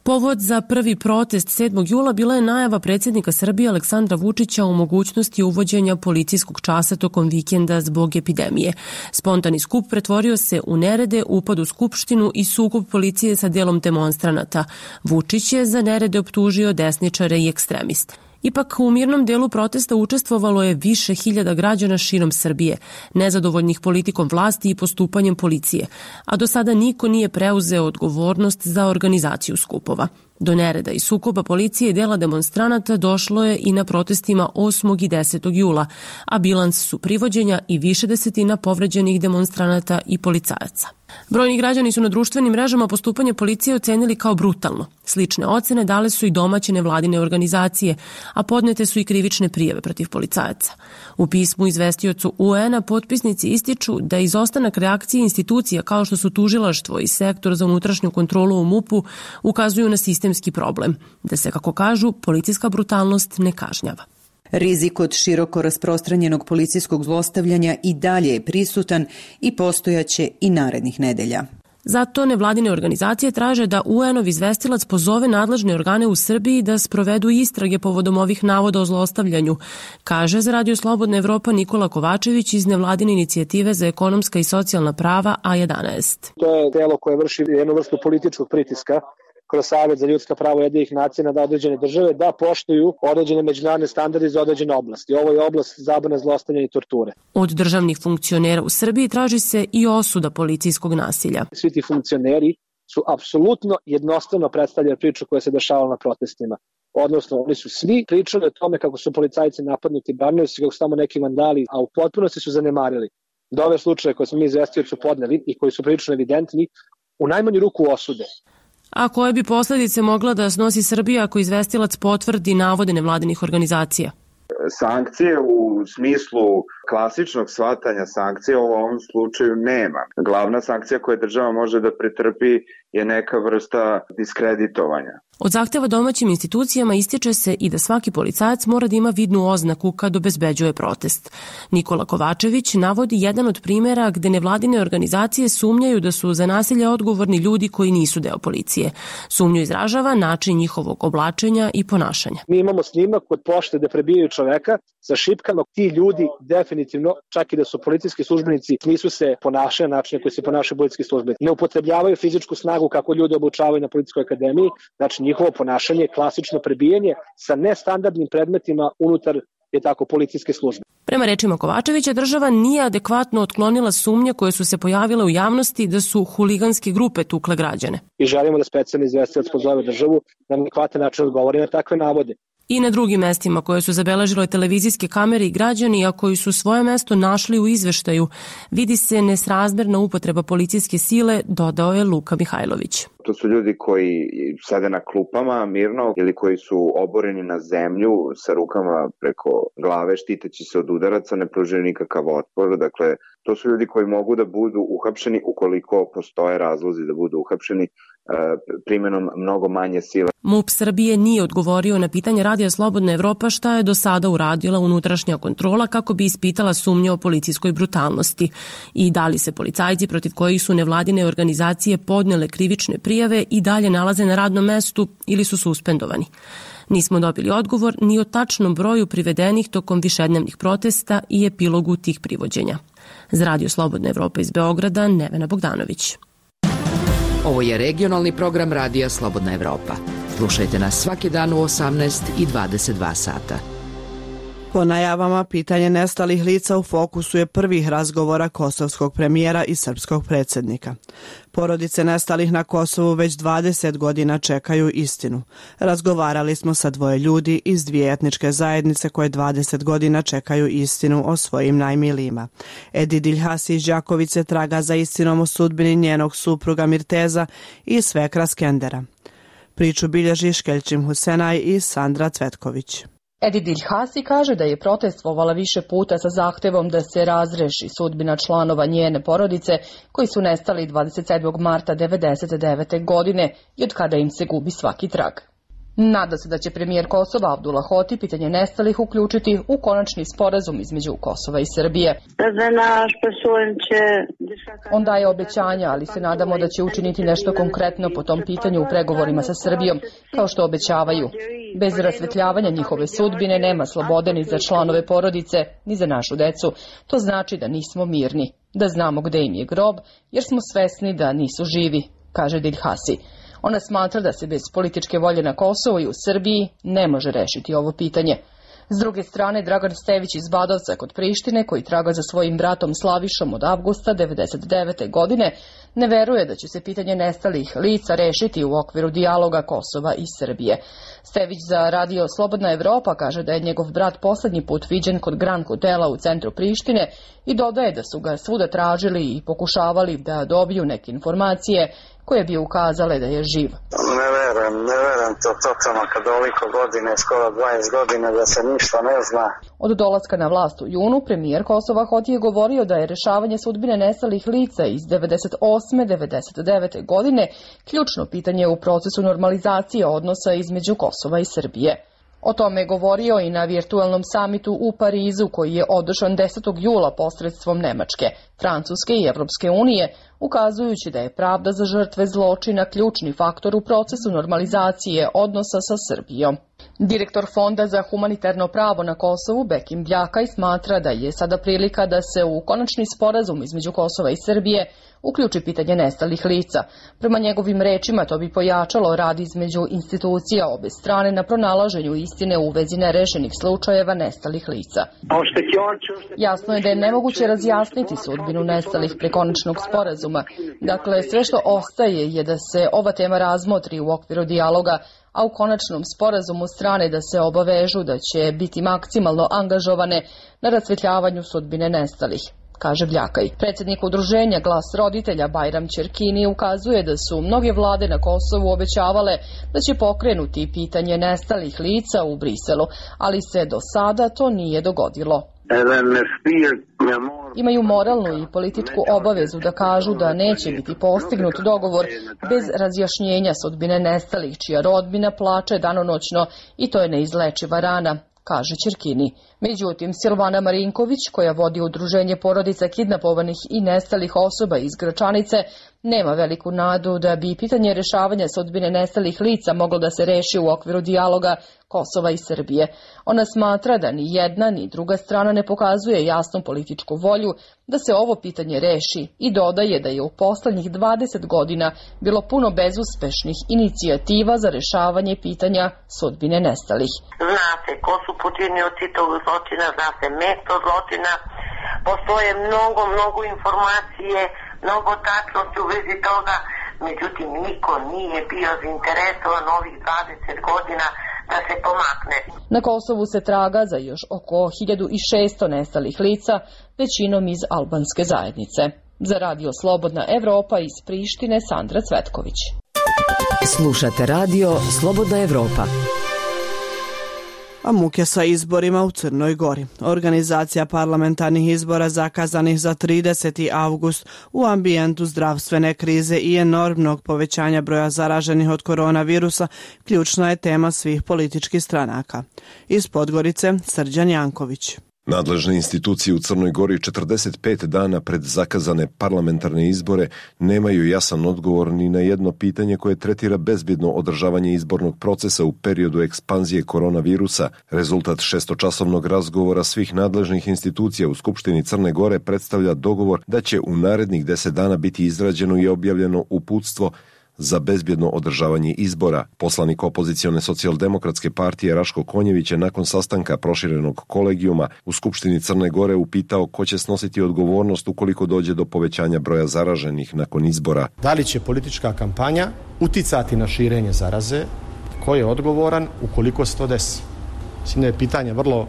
Povod za prvi protest 7. jula bila je najava predsjednika Srbije Aleksandra Vučića o mogućnosti uvođenja policijskog časa tokom vikenda zbog epidemije. Spontani skup pretvorio se u nerede, upad u skupštinu i sukob policije sa delom demonstranata. Vučić je za nerede optužio desničare i ekstremiste. Ipak u mirnom delu protesta učestvovalo je više hiljada građana širom Srbije, nezadovoljnih politikom vlasti i postupanjem policije, a do sada niko nije preuzeo odgovornost za organizaciju skupova. Do nereda i sukoba policije i dela demonstranata došlo je i na protestima 8. i 10. jula, a bilans su privođenja i više desetina povređenih demonstranata i policajaca. Brojni građani su na društvenim mrežama postupanje policije ocenili kao brutalno. Slične ocene dale su i domaće nevladine organizacije, a podnete su i krivične prijave protiv policajaca. U pismu izvestiocu UN-a potpisnici ističu da izostanak reakcije institucija kao što su tužilaštvo i sektor za unutrašnju kontrolu u MUP-u ukazuju na sistemski problem, da se, kako kažu, policijska brutalnost ne kažnjava. Rizik od široko rasprostranjenog policijskog zlostavljanja i dalje je prisutan i postojaće i narednih nedelja. Zato nevladine organizacije traže da UN-ov izvestilac pozove nadležne organe u Srbiji da sprovedu istrage povodom ovih navoda o zlostavljanju, kaže za Radio Slobodna Evropa Nikola Kovačević iz nevladine inicijative za ekonomska i socijalna prava A11. To je telo koje vrši jednu vrstu političkog pritiska kroz Savet za ljudska prava Ujedinjenih nacija na određene države da poštuju određene međunarodne standarde za određene oblasti. Ovo je oblast zabrane zlostavljanja i torture. Od državnih funkcionera u Srbiji traži se i osuda policijskog nasilja. Svi ti funkcioneri su apsolutno jednostavno predstavljaju priču koja se dešavala na protestima. Odnosno, oni su svi pričali o tome kako su policajci napadnuti, branili su kako su tamo neki vandali, a u potpunosti su zanemarili da ove slučaje koje smo mi izvestiocu podneli i koji su prilično evidentni, u najmanju ruku osude. A koje bi posledice mogla da snosi Srbija ako izvestilac potvrdi navode nevladinih organizacija? Sankcije u smislu klasičnog shvatanja sankcije u ovom slučaju nema. Glavna sankcija koju država može da pretrpi je neka vrsta diskreditovanja. Od zahteva domaćim institucijama ističe se i da svaki policajac mora da ima vidnu oznaku kad obezbeđuje protest. Nikola Kovačević navodi jedan od primjera gde nevladine organizacije sumnjaju da su za nasilje odgovorni ljudi koji nisu deo policije. Sumnju izražava način njihovog oblačenja i ponašanja. Mi imamo snimak od pošte gde prebijaju čoveka sa šipkama. Ti ljudi definitivno, čak i da su policijski službenici, nisu se ponašali na način koji se ponašaju policijski službenici. Ne upotrebljavaju fizičku snagu kako ljudi obučavaju na policijskoj akademiji, znači njihovo ponašanje je klasično prebijanje sa nestandardnim predmetima unutar policijske službe. Prema rečima Kovačevića, država nije adekvatno otklonila sumnje koje su se pojavile u javnosti da su huliganske grupe tukle građane. I želimo da specijalni izvestilac pozove državu da na adekvatan način odgovori na takve navode. I na drugim mestima koje su zabeležile televizijske kamere i građani, a koji su svoje mesto našli u izveštaju, vidi se nesrazmerna upotreba policijske sile, dodao je Luka Mihajlović. To su ljudi koji sede na klupama mirno ili koji su oboreni na zemlju sa rukama preko glave štiteći se od udaraca, ne pružaju nikakav otpor. Dakle, to su ljudi koji mogu da budu uhapšeni ukoliko postoje razlozi da budu uhapšeni primjenom mnogo manje sile. MUP Srbije nije odgovorio na pitanje Radija Slobodna Evropa šta je do sada uradila unutrašnja kontrola kako bi ispitala sumnje o policijskoj brutalnosti i da li se policajci protiv kojih su nevladine organizacije podnele krivične prijave i dalje nalaze na radnom mestu ili su suspendovani. Nismo dobili odgovor ni o tačnom broju privedenih tokom višednevnih protesta i epilogu tih privođenja. Za Radio Slobodna Evropa iz Beograda, Nevena Bogdanović. Ovo je regionalni program Radija Slobodna Evropa. Slušajte nas svaki dan u 18 i 22 sata. Po najavama, pitanje nestalih lica u fokusu je prvih razgovora kosovskog premijera i srpskog predsjednika. Porodice nestalih na Kosovu već 20 godina čekaju istinu. Razgovarali smo sa dvoje ljudi iz dvije etničke zajednice koje 20 godina čekaju istinu o svojim najmilijima. Edi Diljhasi iz Đakovice traga za istinom o sudbini njenog supruga Mirteza i svekra Skendera. Priču bilježi Škeljčim Husenaj i Sandra Cvetković. Edi Diljhasi kaže da je protestvovala više puta sa zahtevom da se razreši sudbina članova njene porodice koji su nestali 27. marta 1999. godine i od kada im se gubi svaki trag. Nada se da će premijer Kosova Abdullah Hoti pitanje nestalih uključiti u konačni sporazum između Kosova i Srbije. On daje obećanja, ali se nadamo da će učiniti nešto konkretno po tom pitanju u pregovorima sa Srbijom, kao što obećavaju. Bez rasvetljavanja njihove sudbine nema slobode ni za članove porodice, ni za našu decu. To znači da nismo mirni, da znamo gde im je grob, jer smo svesni da nisu živi, kaže Diljhasi. Ona smatra da se bez političke volje na Kosovu i u Srbiji ne može rešiti ovo pitanje. S druge strane, Dragan Stević iz Badovca kod Prištine, koji traga za svojim bratom Slavišom od avgusta 1999. godine, ne veruje da će se pitanje nestalih lica rešiti u okviru dijaloga Kosova i Srbije. Stević za radio Slobodna Evropa kaže da je njegov brat poslednji put viđen kod Grand Hotela u centru Prištine i dodaje da su ga svuda tražili i pokušavali da dobiju neke informacije koje bi ukazale da je živ. Ne verujem to totalno kad ovoliko godine, skoro 20 godina da se ništa ne zna. Od dolaska na vlast u junu, premijer Kosova Hoti je govorio da je rešavanje sudbine nestalih lica iz 98-99. godine ključno pitanje u procesu normalizacije odnosa između Kosova i Srbije. O tome je govorio i na virtualnom samitu u Parizu koji je održan 10. jula posredstvom Nemačke, Francuske i Evropske unije, ukazujući da je pravda za žrtve zločina ključni faktor u procesu normalizacije odnosa sa Srbijom. Direktor Fonda za humanitarno pravo na Kosovu, Bekim Bljakaj, smatra da je sada prilika da se u konačni sporazum između Kosova i Srbije uključi pitanje nestalih lica. Prema njegovim rečima to bi pojačalo rad između institucija obe strane na pronalaženju istine u vezi nerešenih slučajeva nestalih lica. Jasno je da je nemoguće razjasniti sudbinu nestalih pre konačnog sporazuma. Dakle, sve što ostaje je da se ova tema razmotri u okviru dijaloga, a u konačnom sporazumu strane da se obavežu da će biti maksimalno angažovane na rasvetljavanju sudbine nestalih, kaže Bljakaj. Predsjednik udruženja Glas roditelja Bajram Ćerkini ukazuje da su mnoge vlade na Kosovu obećavale da će pokrenuti pitanje nestalih lica u Briselu, ali se do sada to nije dogodilo. Imaju moralnu i političku obavezu da kažu da neće biti postignut dogovor bez razjašnjenja sudbine nestalih, čija rodbina plače danonoćno i to je neizlečiva rana, kaže Ćerkini. Međutim, Silvana Marinković, koja vodi udruženje porodica kidnapovanih i nestalih osoba iz Gračanice, nema veliku nadu da bi pitanje rešavanja sudbine nestalih lica moglo da se reši u okviru dijaloga Kosova i Srbije. Ona smatra da ni jedna ni druga strana ne pokazuje jasnu političku volju da se ovo pitanje reši i dodaje da je u poslednjih 20 godina bilo puno bezuspešnih inicijativa za rešavanje pitanja sudbine nestalih. Zna se ko su počinioci tog zločina, zna se mesto zločina, postoje mnogo informacije, mnogo tačnosti u vezi toga, međutim niko nije bio zainteresovan ovih 20 godina da se pomakne. Na Kosovu se traga za još oko 1600 nestalih lica, većinom iz albanske zajednice. Za radio Slobodna Evropa iz Prištine, Sandra Cvetković. Slušate radio Slobodna Evropa. A muke sa izborima u Crnoj Gori. Organizacija parlamentarnih izbora zakazanih za 30. avgust u ambijentu zdravstvene krize i enormnog povećanja broja zaraženih od koronavirusa ključna je tema svih političkih stranaka. Iz Podgorice, Srđan Janković. Nadležne institucije u Crnoj Gori 45 dana pred zakazane parlamentarne izbore nemaju jasan odgovor ni na jedno pitanje koje tretira bezbjedno održavanje izbornog procesa u periodu ekspanzije koronavirusa. Rezultat šestočasovnog razgovora svih nadležnih institucija u Skupštini Crne Gore predstavlja dogovor da će u narednih 10 dana biti izrađeno i objavljeno uputstvo za bezbjedno održavanje izbora. Poslanik opozicione socijaldemokratske partije Raško Konjević je nakon sastanka proširenog kolegijuma u Skupštini Crne Gore upitao ko će snositi odgovornost ukoliko dođe do povećanja broja zaraženih nakon izbora. Da li će politička kampanja uticati na širenje zaraze? Ko je odgovoran ukoliko se to desi? Mislim da je pitanje vrlo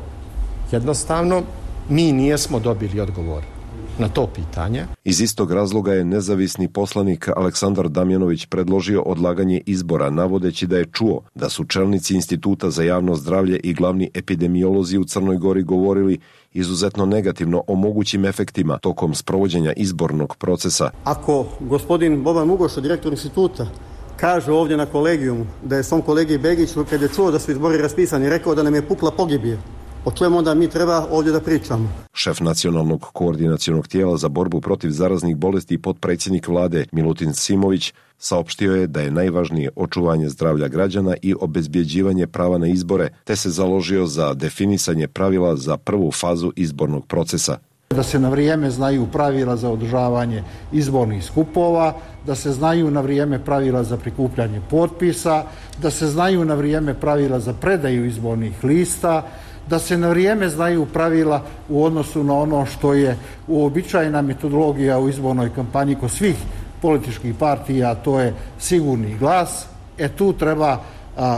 jednostavno. Mi nijesmo dobili odgovor na to pitanje. Iz istog razloga je nezavisni poslanik Aleksandar Damjanović predložio odlaganje izbora, navodeći da je čuo da su čelnici Instituta za javno zdravlje i glavni epidemiolozi u Crnoj Gori govorili izuzetno negativno o mogućim efektima tokom sprovođenja izbornog procesa. Ako gospodin Boban Mugoša, direktor instituta, kažu ovdje na kolegijumu da je svom kolegi Begiću, kad je čuo da su izbori raspisani, rekao da nam je pukla pogibije. O čemu onda mi treba ovdje da pričamo? Šef nacionalnog koordinacionog tijela za borbu protiv zaraznih bolesti i potpredsjednik vlade Milutin Simović saopštio je da je najvažnije očuvanje zdravlja građana i obezbjeđivanje prava na izbore, te se založio za definisanje pravila za prvu fazu izbornog procesa. Da se na vrijeme znaju pravila za održavanje izbornih skupova, da se znaju na vrijeme pravila za prikupljanje potpisa, da se znaju na vrijeme pravila za predaju izbornih lista, da se na vrijeme znaju pravila u odnosu na ono što je uobičajena metodologija u izbornoj kampanji kod svih političkih partija, a to je sigurni glas. Tu treba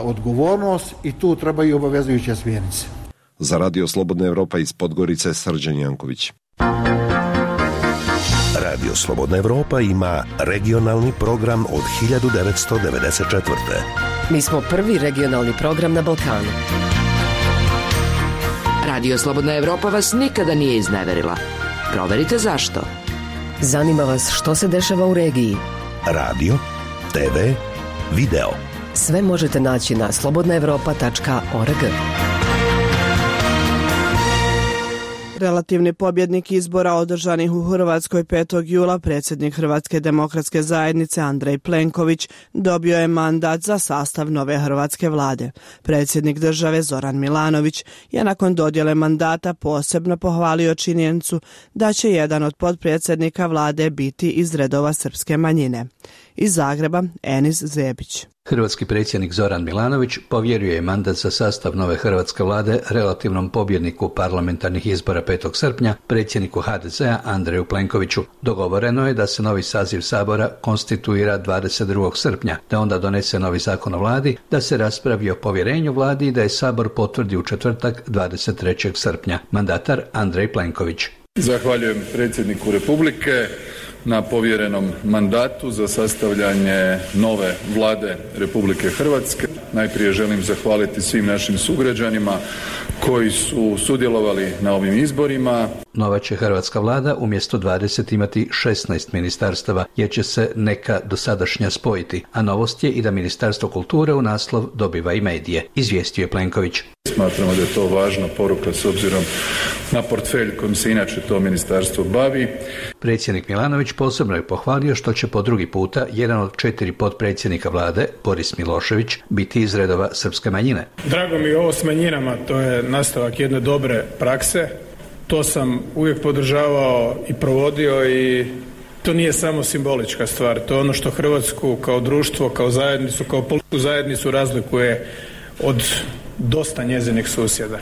odgovornost i tu trebaju obavezujuće smjernice. Za Radio Slobodna Evropa iz Podgorice, Srđan Janković. Radio Slobodna Evropa ima regionalni program od 1994. Mi smo prvi regionalni program na Balkanu. Radio Slobodna Evropa vas nikada nije izneverila. Proverite zašto. Zanima vas što se dešava u regiji. Radio, TV, video. Sve možete naći na slobodnaevropa.org. Relativni pobjednik izbora održanih u Hrvatskoj 5. jula, predsjednik Hrvatske demokratske zajednice Andrej Plenković, dobio je mandat za sastav nove hrvatske vlade. Predsjednik države Zoran Milanović je nakon dodjele mandata posebno pohvalio činjenicu da će jedan od potpredsjednika vlade biti iz redova srpske manjine. Iz Zagreba, Enis Zebić. Hrvatski predsjednik Zoran Milanović povjerio je mandat za sastav nove hrvatske vlade relativnom pobjedniku parlamentarnih izbora 5. srpnja, predsjedniku HDZ-a Andreju Plenkoviću. Dogovoreno je da se novi saziv Sabora konstituira 22. srpnja, da onda donese novi zakon o vladi, da se raspravi o povjerenju vladi i da je Sabor potvrdi u četvrtak 23. srpnja. Mandatar Andrej Plenković. Zahvaljujem predsjedniku Republike na povjerenom mandatu za sastavljanje nove vlade Republike Hrvatske. Najprije želim zahvaliti svim našim sugrađanima koji su sudjelovali na ovim izborima. Nova će hrvatska vlada umjesto 20 imati 16 ministarstava, jer će se neka dosadašnja spojiti, a novost je i da Ministarstvo kulture u naslov dobiva i medije, izvijestio je Plenković. Smatramo da je to važna poruka s obzirom na portfelj kojim se inače to ministarstvo bavi. Predsjednik Milanović posebno je pohvalio što će po drugi puta jedan od 4 potpredsjednika vlade, Boris Milošević, biti iz redova srpske manjine. Drago mi je ovo s manjinama, to je nastavak jedne dobre prakse. To sam uvijek podržavao i provodio i to nije samo simbolička stvar. To je ono što Hrvatsku kao društvo, kao zajednicu, kao političku zajednicu razlikuje od dosta njezinih susjeda.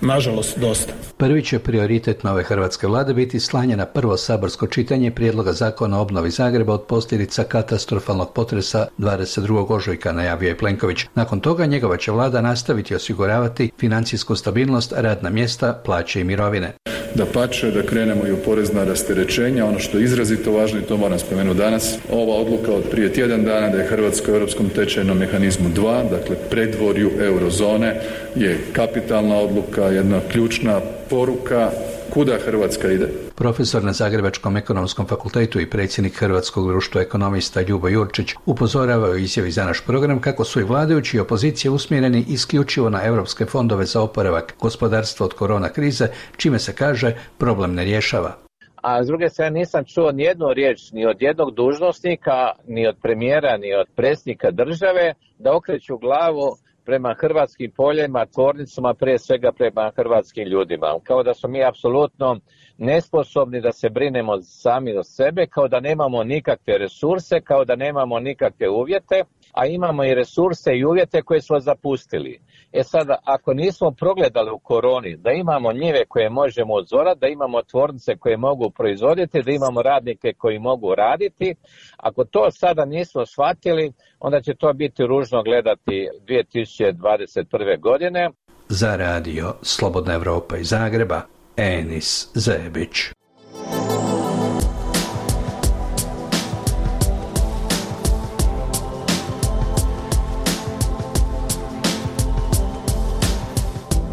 Nažalost, dosta. Prvi će prioritet nove hrvatske vlade biti slanje na prvo saborsko čitanje prijedloga zakona o obnovi Zagreba od posljedica katastrofalnog potresa 22. ožujka, najavio je Plenković. Nakon toga njegova će vlada nastaviti osiguravati financijsku stabilnost, radna mjesta, plaće i mirovine. Dapače, da krenemo i u porezna rasterećenja. Ono što je izrazito važno, i to moram spomenuti danas, ova odluka od prije tjedan dana da je Hrvatska u europskom tečajnom mehanizmu 2, dakle predvorju eurozone, je kapitalna odluka, jedna ključna poruka kuda Hrvatska ide. Profesor na Zagrebačkom ekonomskom fakultetu i predsjednik Hrvatskog društva ekonomista Ljubo Jurčić upozoravao u izjavi za naš program kako su i vladajući i opozicija usmjereni isključivo na europske fondove za oporavak gospodarstva od korona krize, čime se kaže problem ne rješava. A s druge strane nisam čuo nijednu riječ ni od jednog dužnosnika, ni od premijera, ni od predsjednika države da okreću glavu prema hrvatskim poljima, tvornicama, prije svega prema hrvatskim ljudima. Kao da smo mi apsolutno nesposobni da se brinemo sami o sebe, kao da nemamo nikakve resurse, kao da nemamo nikakve uvjete, a imamo i resurse i uvjete koje smo zapustili. Sada, ako nismo progledali u koroni da imamo njive koje možemo odzorati, da imamo tvornice koje mogu proizvoditi, da imamo radnike koji mogu raditi, ako to sada nismo shvatili, onda će to biti ružno gledati 2021. godine. Za radio Slobodna Evropa iz Zagreba, Enis Zebić.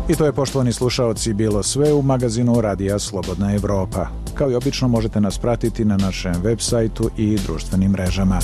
I to je, poštovani slušaoci, bilo sve u magazinu Radija Slobodna Evropa. Kao i obično možete nas pratiti na našem web sajtu i društvenim mrežama.